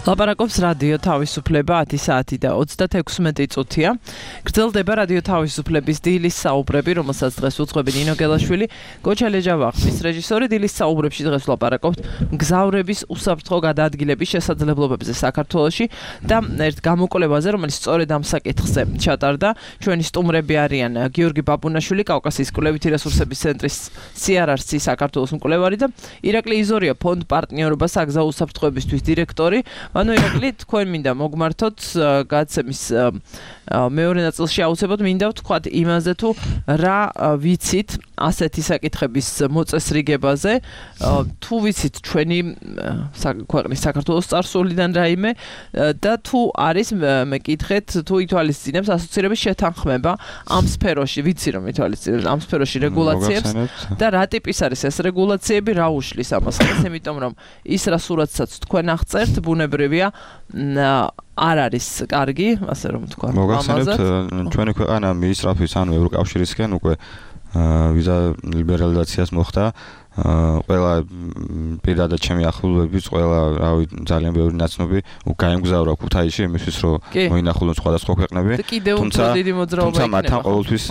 ლაპარაკობს რადიო თავისუფლება ათი საათი და ოცდაექვსი წუთია. გრძელდება რადიო თავისუფლების დილის საუბრები, რომელსაც დღეს უძღვები ნინო გელაშვილი, გოჩა ლეჯავახის რეჟისორი. დილის საუბრებში დღეს ლაპარაკობთ მგზავრების უსაფრთხო გადაადგილების შესაძლებლობებზე საქართველოში და ერთ გამოკვლევაზე, რომელიც სწორედ ამ საკითხზე ჩატარდა. ჩვენი სტუმრები არიან გიორგი ბაბუნაშვილი, კავკასიის კვლევითი რესურსების ცენტრის სი არ არ სი საქართველოს მკვლევარი და ირაკლი იზორია, ფონდ პარტნიორობა საგზაო უსაფრთხოებისთვის დირექტორი. ანუ ირაკლი, თქვენ მინდა მოგმართოთ გადაცემის მეორე ნაწილში აუცილებლად მინდა ვთქვათ იმაზე თუ რა ვიცით ასეთი საკითხების მოწესრიგებაზე, თუ ვიცით ჩვენი ქვეყნის საქართველოს წარსულიდან რაიმე და თუ არის მეკითხეთ თუ ითვალისწინებს ასოცირების შეთანხმება ამ სფეროში, ვიცი რომ ითვალისწინებს ამ სფეროში რეგულაციებს და რა ტიპის არის ეს რეგულაციები, რა უშლის ამას ხეს, იმიტომ რომ ის რა სურათსაც თქვენ აღწერთ, ბუნებრივია არ არის კარგი, ასე რომ თქვა. მოგახსენებთ, ჩვენი ქვეყანა მიისწრაფვის ანუ ევროკავშირისკენ უკვე ვიზა ლიბერალიზაციას მოხდა. ყველა პირადად ჩემი ახლობლების, ყველა, რავი, ძალიან ბევრი ნაცნობი გაემგზავრა ქუთაისში იმისთვის, რომ მოინახულონ სხვადასხვა ქვეყნები. თუმცა თუმცა მათთან ყოველთვის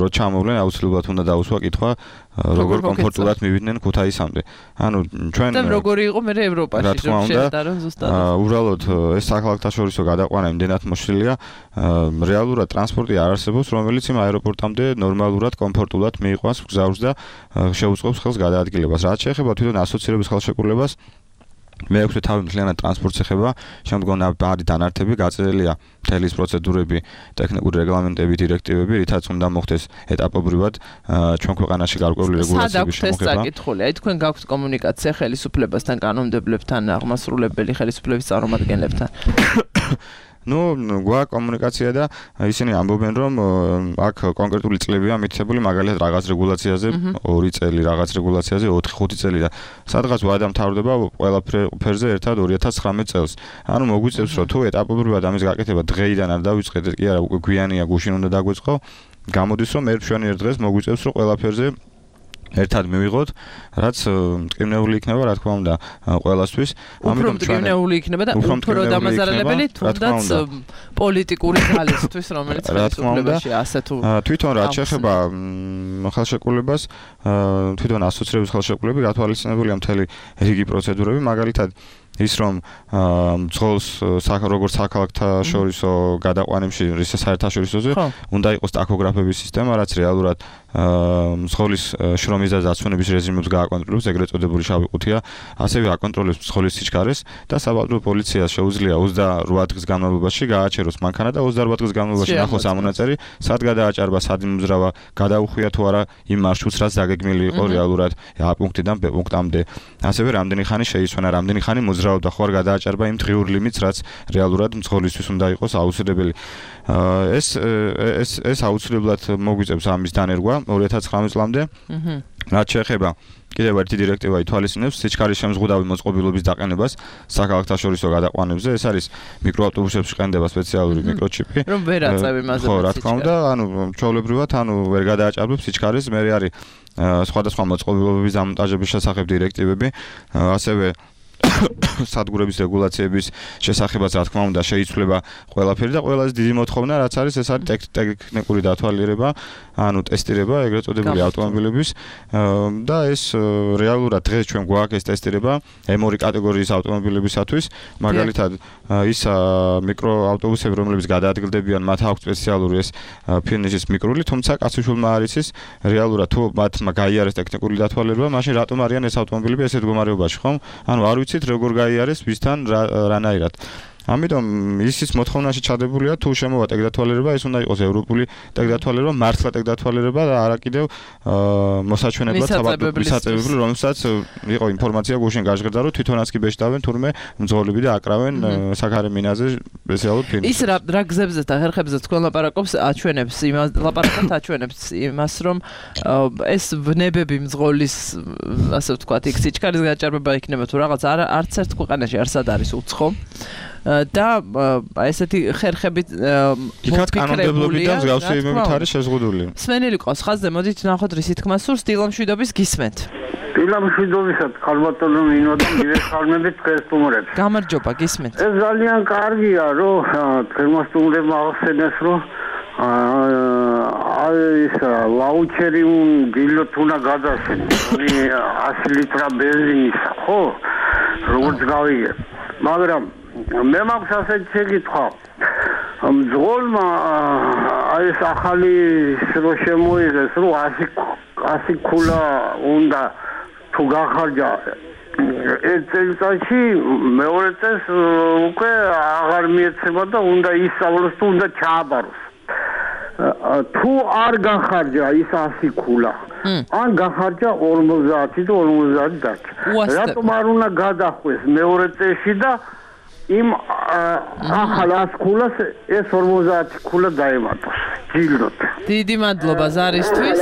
რო ჩამოვლენ, აუცილებლად უნდა დაუსვა კითხვა, როგორ კომფორტულად მივიდნენ ქუთაისამდე. ანუ ჩვენ და როგორი იყო მე ევროპაში რომ შეერთარონ ზუსტად. უბრალოდ ეს საქალაქთაშორისო გადაყვანა იმდენად მოშლილია, რეალურად ტრანსპორტი არ არსებობს, რომელიც იმ აეროპორტამდე ნორმალურად, კომფორტულად მიიყვანს მგზავრს და შეუწყობს ხელს გადაადგილებას. რაც შეეხება თვითონ ასოცირების ხელშეკრულებას, მეექვსე თავი მთლიანად ტრანსპორტს ეხება, შემდგომ არის დანართები, გაწერილია მთელი ის პროცედურები, ტექნიკური რეგლამენტები, დირექტივები, რითაც უნდა მოხდეს ეტაპობრივად ჩვენ ქვეყანაში გარკვეული რეგულაციების შემოღება. სად საკითხული, აი თქვენ გაქვთ კომუნიკაცია ხელისუფლებასთან, კანონმდებლებთან, აღმასრულებელი ხელისუფლების წარმომადგენლებთან. ნუ გვაქვს კომუნიკაცია და ისინი ამბობენ რომ აქ კონკრეტული წლებია მითითებული მაგალითად რაღაც რეგულაციაზე ორი წელი, რაღაც რეგულაციაზე ოთხი ხუთი წელი და სადღაც ვადა მთავრდება ყველაფერზე ერთად ორი ათას ცხრამეტ წელს. ანუ მოგვიწევს რომ თუ ეტაპობრივად ამის გაკეთება დღეიდან არ დავიწყეთ კი არა უკვე გვიანია გუშინ უნდა დაგვეწყო, გამოდის რომ ერთ-შუანიერ დღეს მოგვიწევს რომ ყველაფერზე ერთად მივიღოთ, რაც მტკივნეული იქნება, რა თქმა უნდა, ყველასთვის. ამიტომ მტკივნეული იქნება და უფრო დამაზარალებელი თუნდაც პოლიტიკური ძალისთვის, რომელიც ხელისუფლებაში ასე თუ თვითონ რაც შეეხება ხელშეკრულებას, თვითონ ასოცირების ხელშეკრულები გათვალისწინებულია მთელი რიგი პროცედურები, მაგალითად ის რომ მძღოლს როგორც საქალაქთაშორისო გადაყვანებში, ისე საერთაშორისოზე უნდა იყოს ტაქოგრაფების სისტემა, რაც რეალურად მძღოლის შრომის და დაცვენების რეჟიმებს გააკონტროლებს, ეგრეთ წოდებული შავი ყუთია, ასევე აკონტროლებს მძღოლის სიჩქარეს და საბავშვო პოლიციას შეუძლია ოცდაოთხ დღის განმავლობაში გააჩეროს მანქანა და ოცდაარბაათ დღის განმავლობაში ნახოს ამონაწერი, სად გადააჭარბა, სად იმუძრავა, გადაუხვია თუ არა იმ მარშრუტს, რაც დაგეგმილი იყო რეალურად A პუნქტიდან B პუნქტამდე. ასევე რამდენი ხანი შეისვენა, რამდენი ხანი მოძრაობდა ხო არ გადააჭარბა იმ დღიურ ლიმიტს, რაც რეალურად მძღოლისთვის უნდა იყოს აუცილებელი. ეს ეს ეს აუცილებლად მოგვიწევს ამის დანერგვა ორი ათას ცხრამეტ წლამდე. რაც შეეხება კიდევ ერთი დირექტივა ითვალისწინებს სიჩქარის შემზღუდავი მოწყობილობის დაყენებას საქალაქთაშორისო გადაყვანებზე. ეს არის მიკროავტობუსებში ყენდება სპეციალური მიკროჩიპი. რომ ვერ აწევი მასზე. ხო, რა თქმა უნდა, ანუ ჩვეულებრივად, ანუ ვერ გადააჭარბებს სიჩქარეს, მე არის სხვადასხვა მოწყობილობების დამონტაჟების შესახებ დირექტივები, ასევე სადგურების რეგულაციების შესახებაც რა თქმა უნდა შეიცვლება ყველაფერი და ყველაზე დიდი მოთხოვნა რაც არის ეს არის ტექნიკური დათვალიერება, ანუ ტესტირება ეგრეთ წოდებული ავტომობილების და ეს რეალურად დღეს ჩვენ გვაქვს ეს ტესტირება ემ ორი კატეგორიის ავტომობილებისათვის, მაგალითად ის მიკროავტობუსები რომლებიც გადაადგილდებიან, მათ აქვს სპეციალური ეს ფინიშის მიკრული, თუმცა კაცოშულმა არ იცის რეალურად თუ მათმა გაიარეს ტექნიკური დათვალიერება, მაშინ რატომ არიან ეს ავტომობილები ესეთ მდგომარეობაში, ხომ? ანუ არ ვიცით როგორ გაიარეს ვისთან რანაირად. ამიტომ ისიც მოთხოვნაში ჩადებულია თუ შემოვა ტექდათვალიერება, ეს უნდა იყოს ევროპული ტექდათვალიერება, მართლა ტექდათვალიერება და არა კიდევ მოსაჩვენებლად საბადოებრივი, რომელსაც იყო ინფორმაცია გუშინ გაჟღერდა, რომ თვითონაც კი ბეჭდავენ თურმე მძღოლები და აკრავენ საქარე მინაზე სპეციალურ ფირმებს. ის რა რა გზებზე და ხერხებზე თქვენ ლაპარაკობს, აჩვენებს იმას, ლაპარაკობთ აჩვენებს იმას, რომ ეს ვნებები მძღოლის, ასე ვთქვათ, იქ სიჩქარის გაჭარბება იქნება თუ რაღაც არ არც ერთ ქვეყანაში არსად არის უცხო. და ესეთი ხერხებით იქაც კანონმდებლობიდან მსგავსებებით არის შეზღუდული. სვენელი ყავს ხაზზე, მოდით ნახოთ რისი თქმა სურს, დილამშვიდობის გისმენთ. შილამშვიდობისად ხალბატონო ნინო და მივეხალმებით ქრისტუმრებს. გამარჯობა, გისმენთ. ეს ძალიან კარგია, რომ ქრისტუმრებმა ახსენეს, რომ ეს ვაუჩერი დილოთ უნდა გადასცეს. ასი ლიტრა ბენზინისა, ხო? როგორც გავიგე. მაგრამ მე მაქვს ასეთი შეკითხვა. მძღოლმა აი ეს ახალი რო შემოიღეს, რომ ასი ქულა უნდა თუ გახარჯა ეს წელიწადში მეორე წელს უკვე აღარ მიეცემა და უნდა ისწავლოს თუ უნდა ჩააბაროს. თუ არ გახარჯა ის ასი ქულა ან გახარჯა ორმოცდაათი და ორმოცდაათი დარჩა. რატომ არ უნდა გადახვეს მეორე წელში და იმ ახალ ასი ქულას ეს ორმოცდაათი ქულა დაემატოს. ჯილდოთ. დიდი მადლობა ზარისთვის.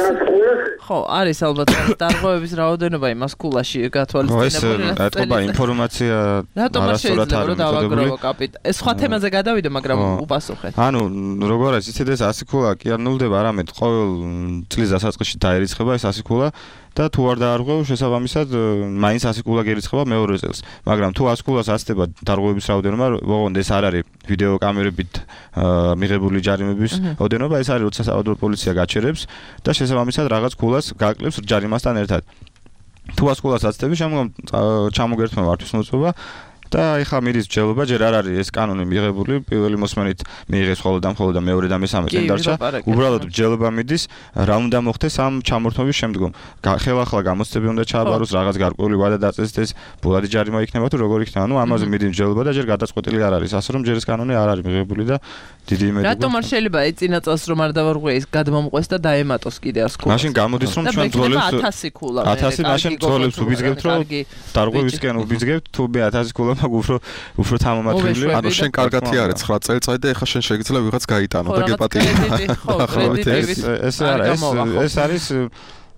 ხო, არის ალბათ დარღვევების რაოდენობა იმას ქულაში გათვალისწინებული. ეს ეთყობა ინფორმაცია არასწორად არის დავაგროვო კაპიტანი. ეს სხვა თემაზე გადავიდე, მაგრამ უპასუხეთ. ანუ როგორ არის იცით ეს ასი ქულა კი არ ნულდება, არამედ ყოველ წლის დასაწყისში დაერიცხება ეს ასი ქულა და თუ არ დაარღვევ შესაბამისად მაინც ასი ქულა გერიცხება მეორე წელს. მაგრამ თუ ასი ქულას აცდება დარღვევების რაოდენობა, ოღონდ ეს არ არის ვიდეო კამერებით მიღებული ჯარიმების რაოდენობა, ეს არის როცა საავადმყოფო პოლიცია გაჩერებს და შესაბამისად რაღაც ქულას გაკლებს ჯარიმასთან ერთად. თუ ასი ქულას აცდები, შემდგომ ჩამოგერთვა მართვისმოწყობა და ეხა მიდის ჯელობა, ჯერ არ არის ეს კანონი მიღებული, პირველი მოსმენით მიიღეს ხოლმე და ხოლმე და მეორე და მესამე წელი დარჩა. უბრალოდ ჯელობა მიდის, რა უნდა მოხდეს ამ ჩამორთმების შემდგომ. ხელახლა გამოცდები უნდა ჩააბაროს, რაღაც გარკვეული ვადა დაწესდეს, ბოლადი ჯარიმა იქნება თუ როგორ იქნება. ანუ ამაზე მიდის ჯელობა და ჯერ გადაწყვეტილი არ არის. ასე რომ ჯერ ეს კანონი არ არის მიღებული და დიდი იმედი. რატომ არ შეიძლება ეს წინა წელს რომ არ დავარღვე ის გადმომყვეს და დაემატოს კიდე ასი ქულა. მაშინ გამოდის რომ ჩვენ ძოლებს ათასი ქულა. ათასი მაშინ ძოლებს უბიძგებთ რომ დარღვევისკენ უბიძგებთ თუ მე ათასი ქულა მაგ უფრო უფრო თამამათილი. ანუ შენ კარგათი არის ცხრა წელიწადი და ეხლა შენ შეიძლება ვიღაც გაიტანო და გეპატიო. ეს არის ეს არის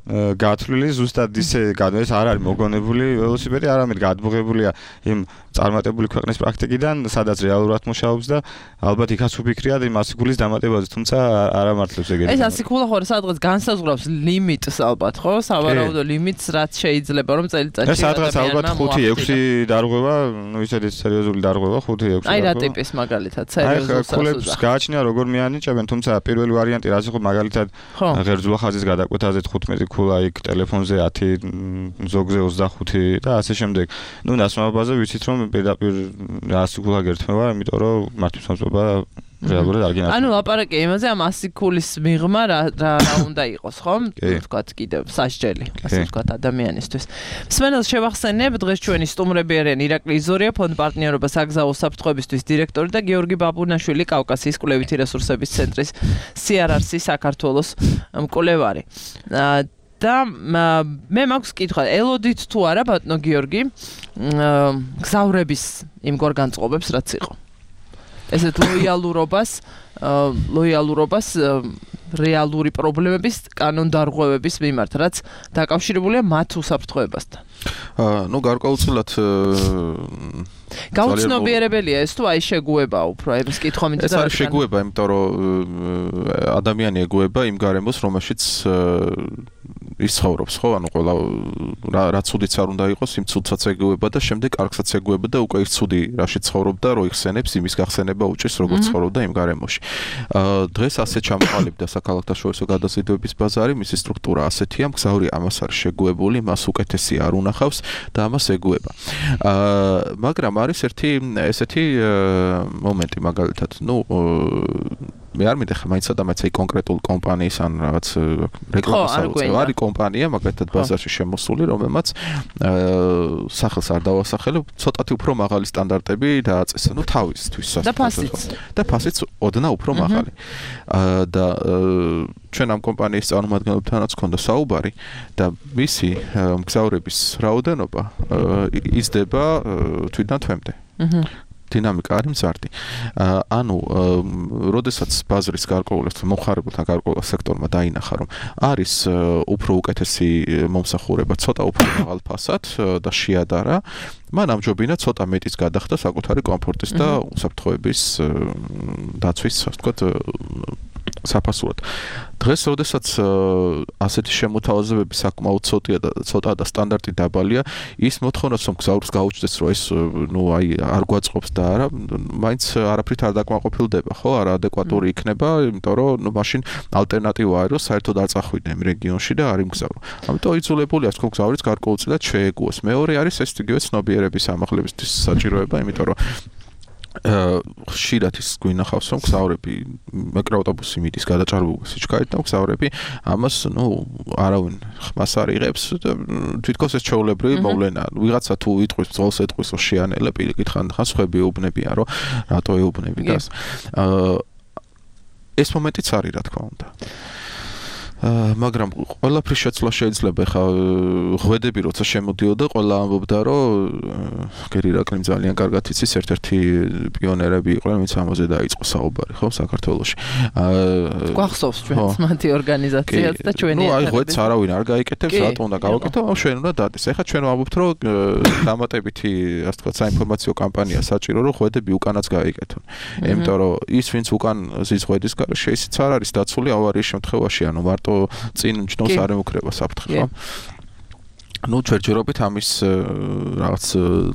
გათვლილი ზუსტად ისე ეს არ არის მოგონებული ველოსიპედი, არამედ გადმოღებულია იმ წარმატებული ქვეყნის პრაქტიკიდან, სადაც რეალურად მუშაობს და ალბათ იქაც უფიქრია იმ ასი ქულის დამატებაზე, თუმცა არ ამართლებს ეგეთი. ეს ასი ქულა ხო სადღაც განსაზღვრავს ლიმიტს ალბათ, ხო? სავარაუდო ლიმიტს, რაც შეიძლება რომ წელიწადში ეს სადღაც ალბათ ხუთი ექვსი დარღვევა, ну ისეთი სერიოზული დარღვევა ხუთი ექვსი. აი რა ტიპის მაგალითად სერიოზული სასუდა. ქულებს გააჩნია როგორ მიანიჭებენ, თუმცა პირველი ვარიანტი რაც იყო მაგალითად ღერძულა ხაზის გადაკვეთაზე თხუთმეტი ქულა იქ ტელეფონზე ათი ზოგზე ოცდახუთი და ასე შემდეგ. ნუ დასმავებაზე ვიცით რომ პირდაპირ ასი ქულა გერთმევა, იმიტომ რომ მართვისმოწყობა რეალურად არ გინახავს. ანუ ლაპარაკი იმაზე ამ ასი ქულის მიღმა რა რა უნდა იყოს, ხო? ვთქვათ კიდევ სასჯელი, ასე ვთქვათ ადამიანისთვის. მსმენელს შევახსენებ, დღეს ჩვენი სტუმრები არიან ირაკლი იზორია, ფონდ პარტნიორობა საგზაო საფრთხეებისთვის დირექტორი და გიორგი ბაბუნაშვილი, კავკასიის კვლევითი რესურსების ცენტრის სი არ არ სი საქართველოს მკვლევარი. და მე მაქვს კითხვა, ელოდით თუ არა ბატონო გიორგი, გზავრების იმგვარ განწყობებს რაც იყო. ესეთ ლოიალურობას, ლოიალურობას რეალური პრობლემების კანონდარღვევების მიმართ, რაც დაკავშირებულია მათ უსაფრთხოებასთან. ну გარკვეულწილად გაუცნობიერებელია ეს თუ აი შეგუება უფრო აი ეს კითხვა მინდა ეს არის შეგუება, იმიტომ რომ ადამიანი ეგუება იმ გარემოს, რომელშიც ის ცხოვრობს, ხო? ანუ ყველა რა ცუდიც არ უნდა იყოს, იმ ცუდსაც ეგუება და შემდეგ კარგსაც ეგუება და უკვე ის ცუდი რაში ცხოვრობდა, რო იხსენებს, იმის გახსენება უჭირს, როგორც ცხოვრობდა იმ გარემოში. დღეს ასე ჩამოყალიბდა საქალაქთაშორისო გადაზიდვების ბაზარი, მისი სტრუქტურა ასეთია, მგზავრი ამას არის შეგუებული, მას უკეთესი არ უნახავს და ამას ეგუება. მაგრამ არის ერთი ესეთი მომენტი მაგალითად, ну მე არ მინდა ხა მაინც ადამიანს აი კონკრეტულ კომპანიის ან რაღაც რეკლამას აუწევ. არის კომპანია მაგალითად ბაზარში შემოსული, რომელმაც სახელს არ დავასახელებ, ცოტათი უფრო მაღალი სტანდარტები დააწესა, ну თავისთვის და ფასიც. და ფასიც ოდნა უფრო მაღალი. და ჩვენ ამ კომპანიის წარმომადგენლებთანაც ჰქონდა საუბარი და მისი მგზავრების რაოდენობა იზრდება თვითონ თვემდე. დინამიკა არის მზარდი. ანუ, როდესაც ბაზრის გარკვეულს მომხარებელთან გარკვეულ სექტორმა დაინახა, რომ არის უფრო უკეთესი მომსახურება, ცოტა უფრო მაღალ ფასად და შეადარა, მან ამჯობინა ცოტა მეტის გადახდა საკუთარი კომფორტის და უსაფრთხოების დაცვის, ასე ვთქვათ, საფასურად. დღეს, როდესაც ასეთი შემოთავაზებები საკმაოდ ცოტაა და ცოტაა და სტანდარტი დაბალია, ის მოთხოვნაც რომ გზავრს გაუჩნდეს, რომ ეს ნუ აი არ გვაწყობს და არა, მაინც არაფრით არ დაკმაყოფილდება, ხო? არაადეკვატური იქნება, იმიტომ რომ ნუ მაშინ ალტერნატივა არის, რომ საერთოდ არ წახვიდე იმ რეგიონში და არ იმგზავრო. ამიტომ იძულებული აქვს გზავრიც გარკვეულწილად შეეგუოს. მეორე არის ეს იგივე ცნობიერების ამაღლებისთვის საჭიროება, იმიტომ რომ ხშირად ის გვინახავს რომ გზავრები მიკროავტობუსი მიდის გადაჭარბებულ სიჩქარით და გზავრები ამას ნუ არავინ ხმას არ იღებს თვითონ ეს ჩაოლებრივი მოვლენაა ვიღაცა თუ იტყვის ძოლს ეტყვის რომ შეანელა პირიქით ხან ხან სხვები ეუბნებიან რომ რატო ეუბნები და ეს მომენტიც არის რა თქმა უნდა მაგრამ ყველაფრის შეცვლა შეიძლება ხა ღვედები როცა შემოდიოდა ყველა ამბობდა რომ გერი რაკლიმ ძალიან კარგად იცის ერთ-ერთი პიონერები იყვნენ ვინც ამაზე დაიწყო საუბარი ხო საქართველოში გვახსოვს ჩვენს მათი ორგანიზაციაც და ჩვენი ნუ აი ღვედს არავინ არ გაიკეთებს რატომ უნდა გავაკეთო ამ ჩვენ უნდა დადეს ეხლა ჩვენ ვამბობთ რომ დამატებითი ასე ვთქვათ საინფორმაციო კამპანია საჭირო რომ ღვედები უკანაც გაიკეთონ იმიტომ რომ ის ვინც უკან ზის ღვედის გარეშე ისიც არ არის დაცული ავარიის შემთხვევაში ანუ მარტო წინ ჯნოს არ ემუქრება საფრთხე ხო? ნუ ჯერჯერობით ამის რაღაც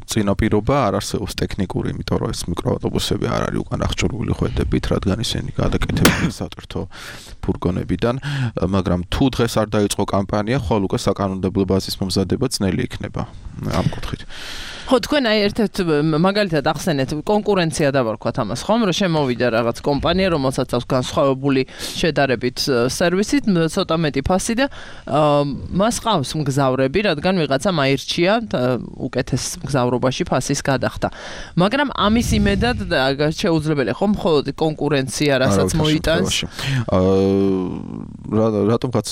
წინაპირობა არ არსებობს ტექნიკური, იმიტომ რომ ეს მიკროავტობუსები არ არის უკან აღჭურვილი ხვედებით, რადგან ისინი გადაკეთებულია სატვირთო ფურგონებიდან, მაგრამ თუ დღეს არ დაიწყო კამპანია, ხოლმე უკვე საკანონმდებლო ბაზის მომზადება ძნელი იქნება ამ კუთხით. ხო, თქვენ აი ერთ-ერთ მაგალითად ახსენეთ კონკურენცია დავარქვათ ამას, ხომ, რომ შემოვიდა რაღაც კომპანია, რომელსაც აქვს განსხვავებული შედარებით სერვისით, ცოტა მეტი ფასი და მას ყავს მგზავრები, რადგან ვიღაცამ აირჩია უკეთეს მგზავრობაში ფასის გადახდა. მაგრამ ამის იმედად შეუძლებელია, ხომ, მხოლოდ კონკურენცია, რასაც მოიტანს. აა რატომღაც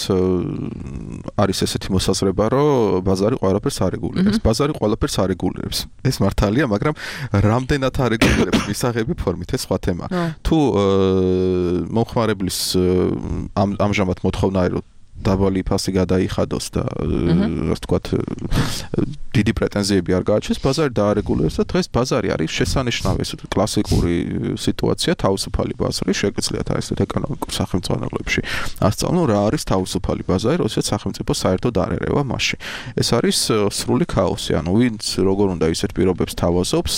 არის ესეთი მოსაზრება, რომ ბაზარი ყველაფერს არეგულირებს. ბაზარი ყველაფერს არეგულირებს. ეს მართალია, მაგრამ რამდენად არეგულირებს მისაღები ფორმით ეს სხვა თემა. თუ მომხმარებლის ამჟამად მოთხოვნა არის რომ დაბალი ფასი გადაიხადოს და ასე ვთქვათ დიდი პრეტენზიები არ გააჩნდეს, ბაზარი დაარეგულირებს და დღეს ბაზარი არის შესანიშნავი ეს კლასიკური სიტუაცია, თავისუფალი ბაზარი, შეგიძლიათ აი ესეთ ეკონომიკურ სახელმწიფოებში ასწავლონ რა არის თავისუფალი ბაზარი, როდესაც სახელმწიფო საერთოდ არ ერევა მასში. ეს არის სრული ქაოსი, ანუ ვინც როგორ უნდა ისეთ პირობებს თავაზობს,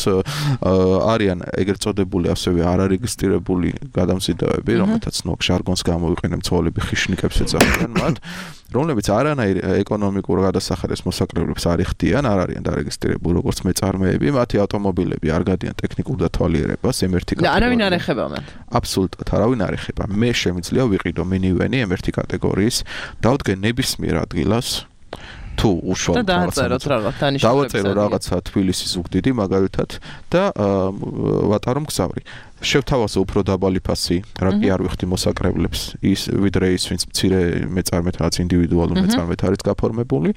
არიან ეგრეთ წოდებული ასევე არარეგისტრირებული გადამზიდავები, რომელთაც ნუ ჟარგონს გამოვიყენებ, ძოლები ხიშნიკებს ეძახიან მათ რომლებიც არანაირ ეკონომიკურ გადასახადეს მოსაკრებლებს არ იხდიან, არ არიან დარეგისტრირებული როგორც მეწარმეები, მათი ავტომობილები არ გადიან ტექნიკურ დათვალიერებას ემ ერთი კატეგორიაში. და არავინ არ ეხება მათ. აბსოლუტურად არავინ არ ეხება. მე შემიძლია ვიყიდო მინივენი ემ ერთი კატეგორიის, დავდგე ნებისმიერ ადგილას თუ უშუალოდ დავწეროთ რაღაც დანიშნულებს. დავწერო რაღაცა თბილისის ზუგდიდი მაგალითად და ვატარო მგზავრი. შევთავაზო უფრო დაბალი ფასი, რა კი არ ვიხდი მოსაკრებლებს, ის ვიდრე ის ვინც მცირე მეწარმეთ რაც ინდივიდუალურ მეწარმეთ არის გაფორმებული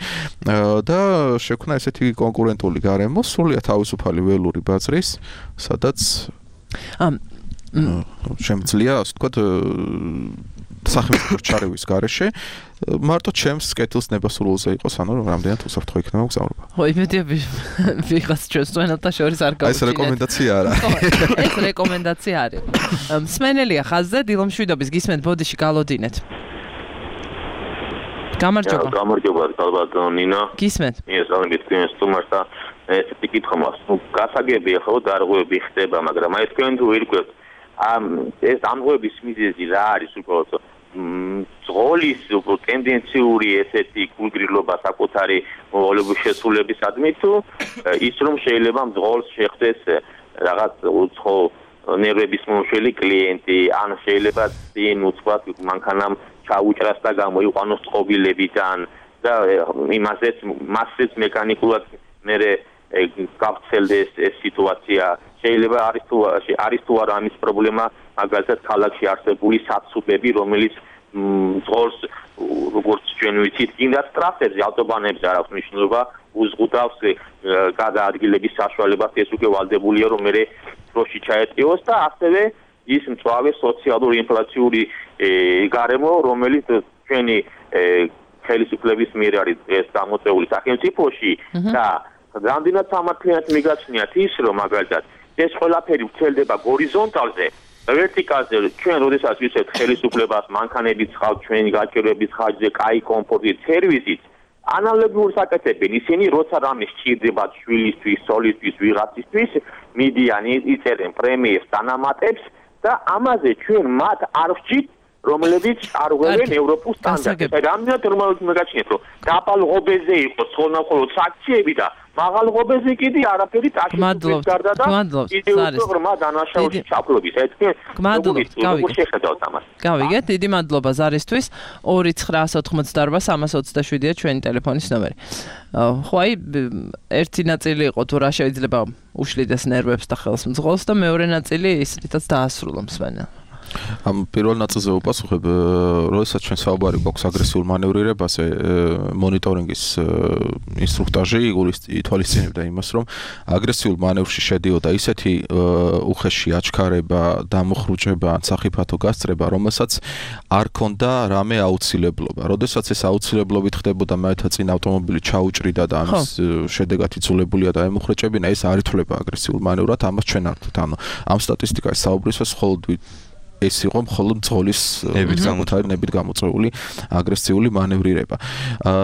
და შექმნა ესეთი კონკურენტული გარემო, სრულიად თავისუფალი ველური ბაზრის, სადაც ამ შემიძლია, ასე ვთქვათ, სახელმწიფო ჩარევის გარეშე მარტო ჩემს კეთილს ნებასრულზე იყოს, ანუ რამდენად უსაფრთხო იქნება მგზავრობა. ხო, იმედია ვიღაც ჩვენს წვენელთა შორის არ გავუჩინეთ. ეს რეკომენდაცია არა. ეს რეკომენდაცია არის. მსმენელია ხაზზე, დილომშვიდობის გისმენთ ბოდიში გალოდინეთ. გამარჯობა. გამარჯობა, ალბათ ნინა. გისმენთ. ეს არის თქვენს სტუმარს და ესეთი კითხვა მაქვს. ნუ გასაგებია ხო დარღვევები ხდება, მაგრამ აი თქვენ თუ ირკვევთ ამ ეს დამღვევების მიზეზი რა არის უბრალოდ ძღოლის ტენდენციური ესეთი გულგრილობა საკუთარი მოვალეობის შესრულებისადმი თუ ის რომ შეიძლება ძღოლს შეხვდეს რაღაც უცხო ნერვების მომშველი კლიენტი ან შეიძლება წინ უცხოად მანქანამ ჩაუჭრას და გამოიყვანოს წყობილებიდან და იმასეც მასეც მექანიკურად მე გავცელდეს ეს სიტუაცია შეიძლება არის თუ არის თუ არა ამის პრობლემა მაგალითად ქალაქში არსებული საცუბები რომელიც ძღოლს როგორც ჩვენ ვიცით კიდაც ტრასებზე ავტობანებზე არ აქვს მნიშვნელობა უზღუდავს გადაადგილების საშუალებას ეს უკვე ვალდებულია რომ მე დროში ჩაეტიოს და ასევე ის მწვავე სოციალური ინფლაციური გარემო რომელიც ჩვენი ხელისუფლების მიერ არის ეს გამოწვეული სახელმწიფოში და რამდენად სამართლიანად მიგაჩნიათ ის რომ მაგალითად ეს ყველაფერი ვრცელდება გორიზონტალზე ვერტიკალზე ჩვენ როდესაც ვისვეთ ხელისუფლებას მანქანებით ხავთ ჩვენი გაჭირვების ხარჯზე, კაი კომფორტით, სერვისით, ანალოგიურ საკეთებენ ისინი, როცა რამე სჭირდებათ შვილისთვის, სოლისთვის, ვიღაცისთვის, მიდიან იწერენ პრემიებს, დანამატებს და ამაზე ჩვენ მათ არ ვჭით რომლებიც არ ღვევენ ევროპულ სტანდარტებს. აი რამდენად რომლებიც მოგაჩნიეთ, რომ დაბალ ღობეზე იყოს ხოლმე საქციები და მაღალ ღობეზე კიდე არაფერი ტაშის გარდა და კიდევ უფრო ღრმა დანაშაულში ჩაფლობის. აი თქვენ როგორ შეხედავთ ამას? გავიგეთ, დიდი მადლობა ზარისთვის. ორი ცხრა ოთხმოცდაორვა სამას ოცდაშვიდია ჩვენი ტელეფონის ნომერი. ხო აი ერთი ნაწილი იყო თუ რა შეიძლება უშლიდეს ნერვებს და ხელს მძღოლს და მეორე ნაწილი ის რითაც დაასრულა მსმენელს. ამ პირველ ნაწილზე ვუპასუხებ, როდესაც ჩვენ საუბარი გვაქვს აგრესიულ მანევრირებაზე, მონიტორინგის ინსტრუქტაჟი ითვალისწინებდა იმას, რომ აგრესიულ მანევრში შედიოდა ისეთი უხეში აჩქარება, დამოხრუჭება ან სახიფათო გასწრება, რომელსაც არ ქონდა რამე აუცილებლობა. როდესაც ეს აუცილებლობით ხდებოდა, მეეთა წინ ავტომობილი ჩაუჭრიდა და ამის შედეგად იძულებულია და ემუხრეჭებინა, ეს არ ითვლება აგრესიულ მანევრად, ამას ჩვენ არ ვთქვით. ანუ ამ სტატისტიკაში საუბრისას მხოლოდ ეს იყო მხოლოდ მძღოლის ნებით გამოწვეული აგრესიული მანევრირება.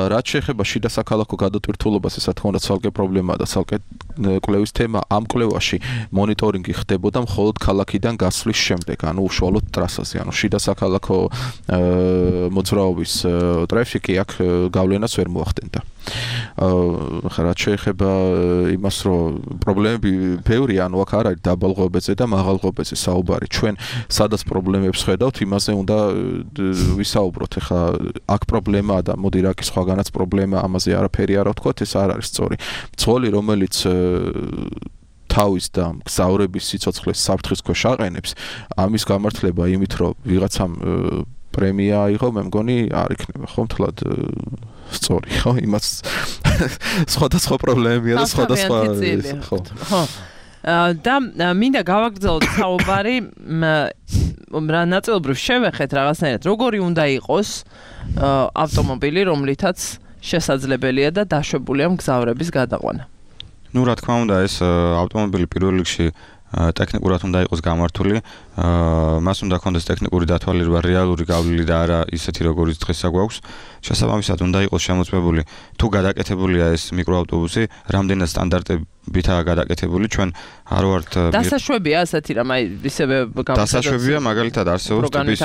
რაც შეეხება შიდა საქალაქო გადატვირთულობას, ეს რა თქმა უნდა ცალკე პრობლემაა და ცალკე კვლევის თემა. ამ კვლევაში მონიტორინგი ხდებოდა მხოლოდ ქალაქიდან გასვლის შემდეგ, ანუ უშუალოდ ტრასაზე, ანუ შიდა საქალაქო მოძრაობის ტრაფიკი აქ გავლენას ვერ მოახდენდა. ხა რაც შეეხება იმას, რომ პრობლემები ბევრია, ანუ აქ არ არის დაბალ ღობეზე და მაღალ ღობეზე საუბარი. ჩვენ სადაც პრობლემებს ხედავთ, იმაზე უნდა ვისაუბროთ. ეხლა აქ პრობლემაა და მოდი რა კი სხვაგანაც პრობლემა, ამაზე არაფერი არ ვთქვათ, ეს არ არის სწორი. მძღოლი, რომელიც თავის და მგზავრების სიცოცხლეს საფრთხის ქვეშ აყენებს, ამის გამართლება იმით, რომ ვიღაცამ პრემია აიღო, მე მგონი არ იქნება, ხო, მთლად სწორი, ხო? იმას სხვადასხვა პრობლემებია და სხვადასხვა ხო. ხო. და მინდა გავაგრძელოთ საუბარი რა ნაწილობრივ შევეხეთ რაღაცნაირად როგორი უნდა იყოს ავტომობილი რომლითაც შესაძლებელია და დაშვებულია მგზავრების გადაყვანა. ნუ რა თქმა უნდა ეს ავტომობილი პირველ რიგში ტექნიკურად უნდა იყოს გამართული, მას უნდა ქონდეს ტექნიკური დათვალიერება, რეალური გავლილი და არა ისეთი როგორიც დღესა გვაქვს. შესაბამისად უნდა იყოს შემოწმებული თუ გადაკეთებულია ეს მიკროავტობუსი, რამდენად სტანდარტებითაა გადაკეთებული, ჩვენ არ ვართ დასაშვებია ასეთი რამ აი ისევე დასაშვებია, მაგალითად არსებობს ტიპის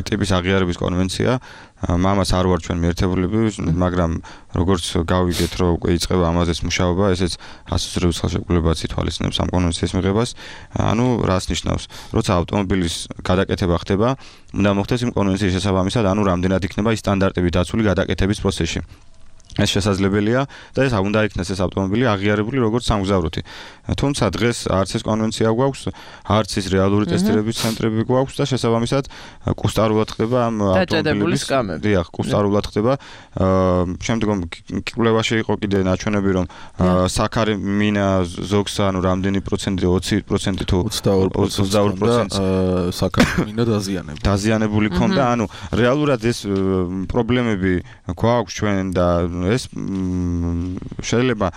ტიპის აღიარების კონვენცია, მამას არ ვარ ჩვენ მიერთებულები, მაგრამ როგორც გავიგეთ, რომ უკვე იწყება ამაზეც მუშაობა, ესეც ასოცირების ხელშეკრულებაც ითვალისწინებს ამ კონვენციის მიღებას. ანუ რას ნიშნავს? როცა ავტომობილის გადაკეთება ხდება, უნდა მოხდეს იმ კონვენციის შესაბამისად, ანუ რამდენად იქნება ის სტანდარტები დაცული გადაკეთების პროცესში. ეს შესაძლებელია და ეს უნდა იქნეს ეს ავტომობილი აღიარებული როგორც სამგზავროთი. თუმცა დღეს არც ეს კონვენცია გვაქვს, არც ის რეალური ტესტირების ცენტრები გვაქვს და შესაბამისად კუსტარულად ხდება ამ ავტომობილების კამები. დიახ, კუსტარულად ხდება. შემდგომ კვლევაში იყო კიდე ნაჩვენები, რომ საქარი მინა ზოგს ანუ რამდენი პროცენტი, ოცი პროცენტი თუ ოცდაორი პროცენტი საქარი მინა დაზიანებული. დაზიანებული ქონდა, ანუ რეალურად ეს პრობლემები გვაქვს ჩვენ და ეს შეიძლება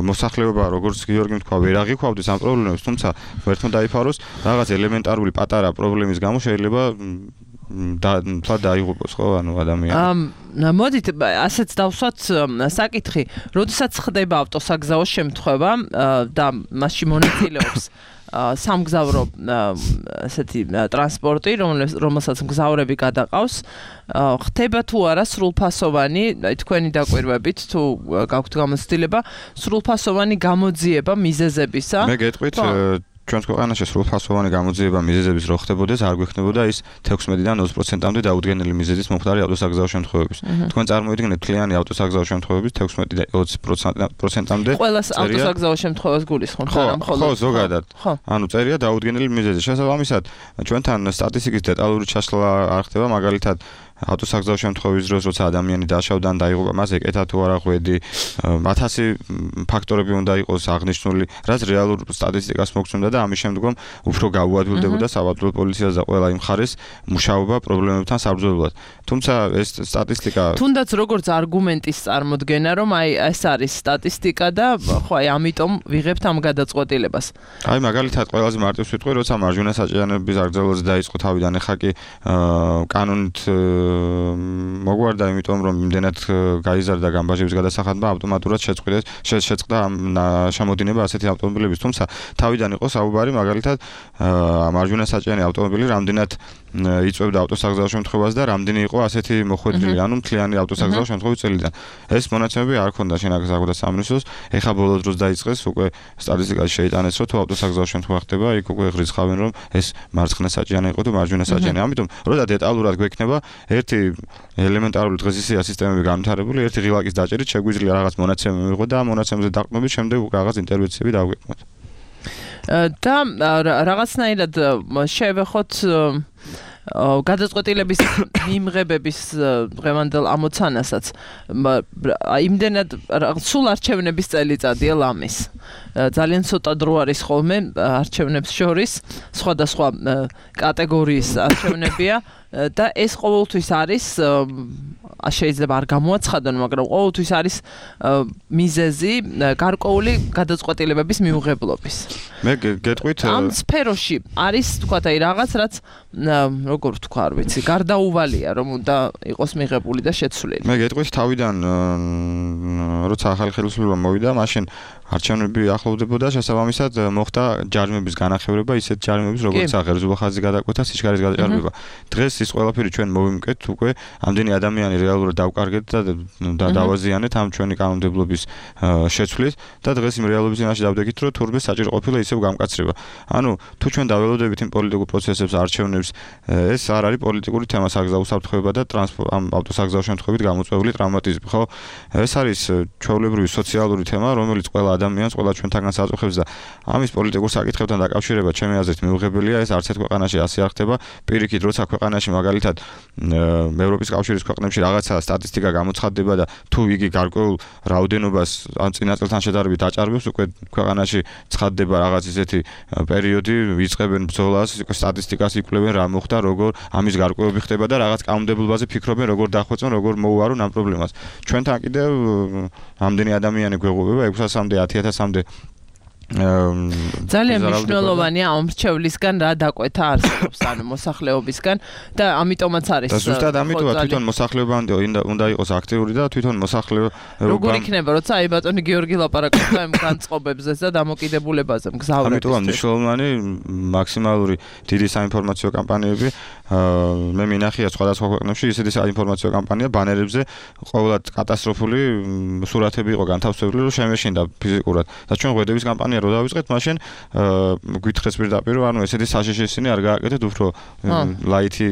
მოსახლეობა როგორც გიორგი თქვა ვერ აღიქვავდეს ამ პრობლემებს, თუმცა ვერთმო დაიფაროს რაღაც ელემენტარული პატარა პრობლემის გამო შეიძლება და თლა დაიღუპოს ხო ანუ ადამიანი. ამ მოდით ასეც დავსვათ საკითხი, როდესაც ხდება ავტოსაგზაო შემთხვევა და მასში მონაწილეობს სამგზავრო ასეთი ტრანსპორტი, რომელსაც მგზავრები გადაყავს, ხდება თუ არა სრულფასოვანი, თქვენი დაკვირვებით თუ გაქვთ გამოცდილება, სრულფასოვანი გამოძიება მიზეზებისა. მე გეტყვით ჩვენს ქვეყანაში სრულფასოვანი გამოძიება მიზეზების რო ხდებოდეს, არ გვექნებოდა ის თექვსმეტიდან ოცი პროცენტამდე დაუდგენელი მიზეზის მომხდარი ავტოსაგზაო შემთხვევების. თქვენ წარმოიდგინეთ თლიანი ავტოსაგზაო შემთხვევების თექვსმეტიდან ოცი პროცენტამდე. ყველას ავტოსაგზაო შემთხვევას გულისხმობთ, არა მხოლოდ. ხო, ზოგადად. ანუ წერია დაუდგენელი მიზეზი. შესაბამისად, ჩვენთან სტატისტიკის დეტალური ჩასვლა არ ხდება, მაგალითად ავტოსაგზაო შემთხვევის დროს როცა ადამიანი დაშავდა ან დაიღუპა მას ეკეთა თუ არა ღვედი ათასი ფაქტორები უნდა იყოს აღნიშნული რაც რეალურ სტატისტიკას მოგცემდა და ამის შემდგომ უფრო გაუადვილდებოდა საპატრულო პოლიციას და ყველა იმ ხარეს მუშაობა პრობლემებთან საბრძოლველად თუმცა ეს სტატისტიკა თუნდაც როგორც არგუმენტის წარმოდგენა რომ აი ეს არის სტატისტიკა და ხო აი ამიტომ ვიღებთ ამ გადაწყვეტილებას აი მაგალითად ყველაზე მარტივს ვიტყვი როცა მარჯვენა საჭიანოების აგრძელვაზე დაიწყო თავიდან ეხა კი კანონით მოგვარდა იმიტომ რომ იმდენად გაიზარდა გამბაჟების გადასახადმა ავტომატურად შეწყდეს შეწყდა შემოდინება ასეთი ავტომობილების თუმცა თავიდან იყო საუბარი მაგალითად მარჯვენა საჭიანი ავტომობილი რამდენად იწვევდა ავტოსაგზაო შემთხვევას და რამდენი იყო ასეთი მოხვედრილი ანუ მთლიანი ავტოსაგზაო შემთხვევის წელიდან ეს მონაცემები არ ქონდა შენაგზ აღდა სამინისტროს ეხა ბოლო დროს დაიწყეს უკვე სტატისტიკაში შეიტანეს რომ თუ ავტოსაგზაო შემთხვევა ხდება იქ უკვე ღრიცხავენ რომ ეს მარცხენა საჭიანი იყო თუ მარჯვენა საჭიანი ამიტომ როდა დეტალურად გვექნება ერთი ელემენტარული დღესისია სისტემები განვითარებული ერთი ღილაკის დაჭერით შეგვიძლია რაღაც მონაცემები მივიღო და ამ მონაცემებზე დაყრდნობით შემდეგ რაღაც ინტერვენციები დავგეკმოთ და რაღაცნაირად შევეხოთ გადაწყვეტილების მიმღებების დღევანდელ ამოცანასაც იმდენად სულ არჩევნების წელიწადია ლამის ძალიან ცოტა დრო არის ხოლმე არჩევნებს შორის სხვადასხვა კატეგორიის არჩევნებია და ეს ყოველთვის არის შეიძლება არ გამოაცხადონ მაგრამ ყოველთვის არის მიზეზი გარკვეული გადაწყვეტილებების მიუღებლობის მე გეტყვით ამ სფეროში არის თქვა აი რაღაც რაც როგორ ვთქვა არ ვიცი გარდაუვალია რომ უნდა იყოს მიღებული და შეცვლილი მე გეტყვით თავიდან როცა ახალი ხელისუფლება მოვიდა მაშინ არჩევნები ახლოვდებოდა შესაბამისად მოხდა ჯარიმების განახევრება ისეთ ჯარიმების როგორც აღერძო ხაზი გადაკვეთა სიჩქარის გადაჭარბება დღეს ის ყველაფერი ჩვენ მოვიმკეთ უკვე ამდენი ადამიანი რეალურად დავკარგეთ და დავაზიანეთ ამ ჩვენი კანონმდებლობის შეცვლით და დღეს იმ რეალობის წინაშე დავდექით რომ თურმე საჭირო ყოფილა ისევ გამკაცრება ანუ თუ ჩვენ დაველოდებით იმ პოლიტიკურ პროცესებს არჩევნებს ეს არ არის პოლიტიკური თემა საგზაო უსაფრთხოება და ტრანსპორტ ამ ავტოსაგზაო შემთხვევით გამოწვეული ტრავმატიზმი ხო ეს არის ჩვეულებრივი სოციალური თემა რომელიც ყველა ადამიანს ყველა ჩვენთაგან საწყობს და ამის პოლიტიკურ საკითხებთან დაკავშირება ჩემი აზრით მიუღებელია ეს არც ერთ ქვეყანაში ასე არ ხდება პირიქით როცა ქვეყანაში მაგალითად ევროპის კავშირის ქვეყნებში რაღაცა სტატისტიკა გამოცხადდება და თუ იგი გარკვეულ რაოდენობას ან წინა წელთან შედარებით აჭარბებს უკვე ქვეყანაში ცხადდება რაღაც ისეთი პერიოდი ვიწყებენ ბრძოლას სტატისტიკას იკვლევენ რა მოხდა როგორ ამის გარკვევები ხდება და რაღაც კანონმდებლობაზე ფიქრობენ როგორ დახვეწონ როგორ მოუარონ ამ პრობლემას ჩვენთან კიდევ ამდენი ადამიანი გვეღობება ექვსასამდე ათი ათასამდე ძალიან მნიშვნელოვანია ამ რჩევლისგან რა დაკვეთა არსებობს ანუ მოსახლეობისგან და ამიტომაც არის და ზუსტად ამიტომაც თვითონ მოსახლეობამდე უნდა იყოს აქტიური და თვითონ მოსახლეობა როგორ იქნება როცა აი ბატონი გიორგი ლაპარაკობდა ამ განწყობებზე და დამოკიდებულებაზე მგზავრების ამიტომ მნიშვნელოვანი მაქსიმალური დიდი საინფორმაციო კამპანიები მე მინახია სხვადასხვა ქვეყნებში ისეთი საინფორმაციო კამპანია ბანერებზე ყოველად კატასტროფული სურათები იყო განთავსებული რომ შემეშინდა ფიზიკურად და ჩვენ ღვედების კამპანია რო დავიწყეთ მაშინ გვითხრეს პირდაპირ ანუ ესეთი საშიშესინი არ გააკეთეთ უფრო ლაითი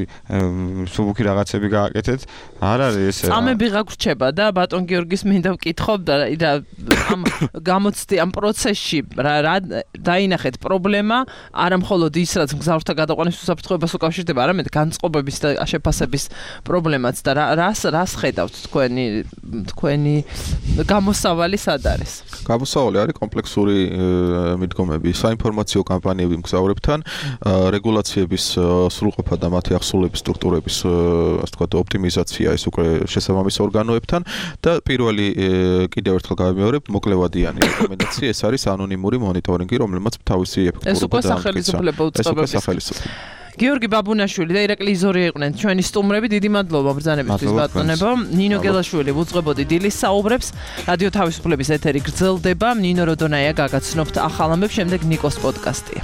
სუბუქი რაღაცები გააკეთეთ არ არის ესე წამები გაგვრჩება და ბატონ გიორგის მინდა ვკითხო და ამ გამოცდი ამ პროცესში რა დაინახეთ პრობლემა არა მხოლოდ ის რაც მგზავრთა გადაყვანის უსაფრთხოებას უკავშირდება არამედ განწყობების და შეფასების პრობლემაც და რას რას ხედავთ თქვენი თქვენი გამოსავალი სად არის გამოსავალი არის კომპლექსური მიდგომები საინფორმაციო კამპანიები მგზავრებთან რეგულაციების სრულყოფა და მათი ახსოვების სტრუქტურების ასე ვთქვათ ოპტიმიზაცია ეს უკვე შესაბამის ორგანოებთან და პირველი კიდევ ერთხელ გავიმეორებ მოკლევადიანი რეკომენდაცია ეს არის ანონიმური მონიტორინგი რომელმაც თავისი ეფექტურობა და სახელმწიფო უწყებების გიორგი ბაბუნაშვილი და ირაკლი იზორია იყვნენ ჩვენი სტუმრები დიდი მადლობა ბრძანებისთვის ბატონებო ნინო გელაშვილი უძღვებოდი დილის საუბრებს რადიო თავისუფლების ეთერი გრძელდება ნინო როდონაია გაგაცნობთ ახალ ამბებს შემდეგ ნიკოს პოდკასტია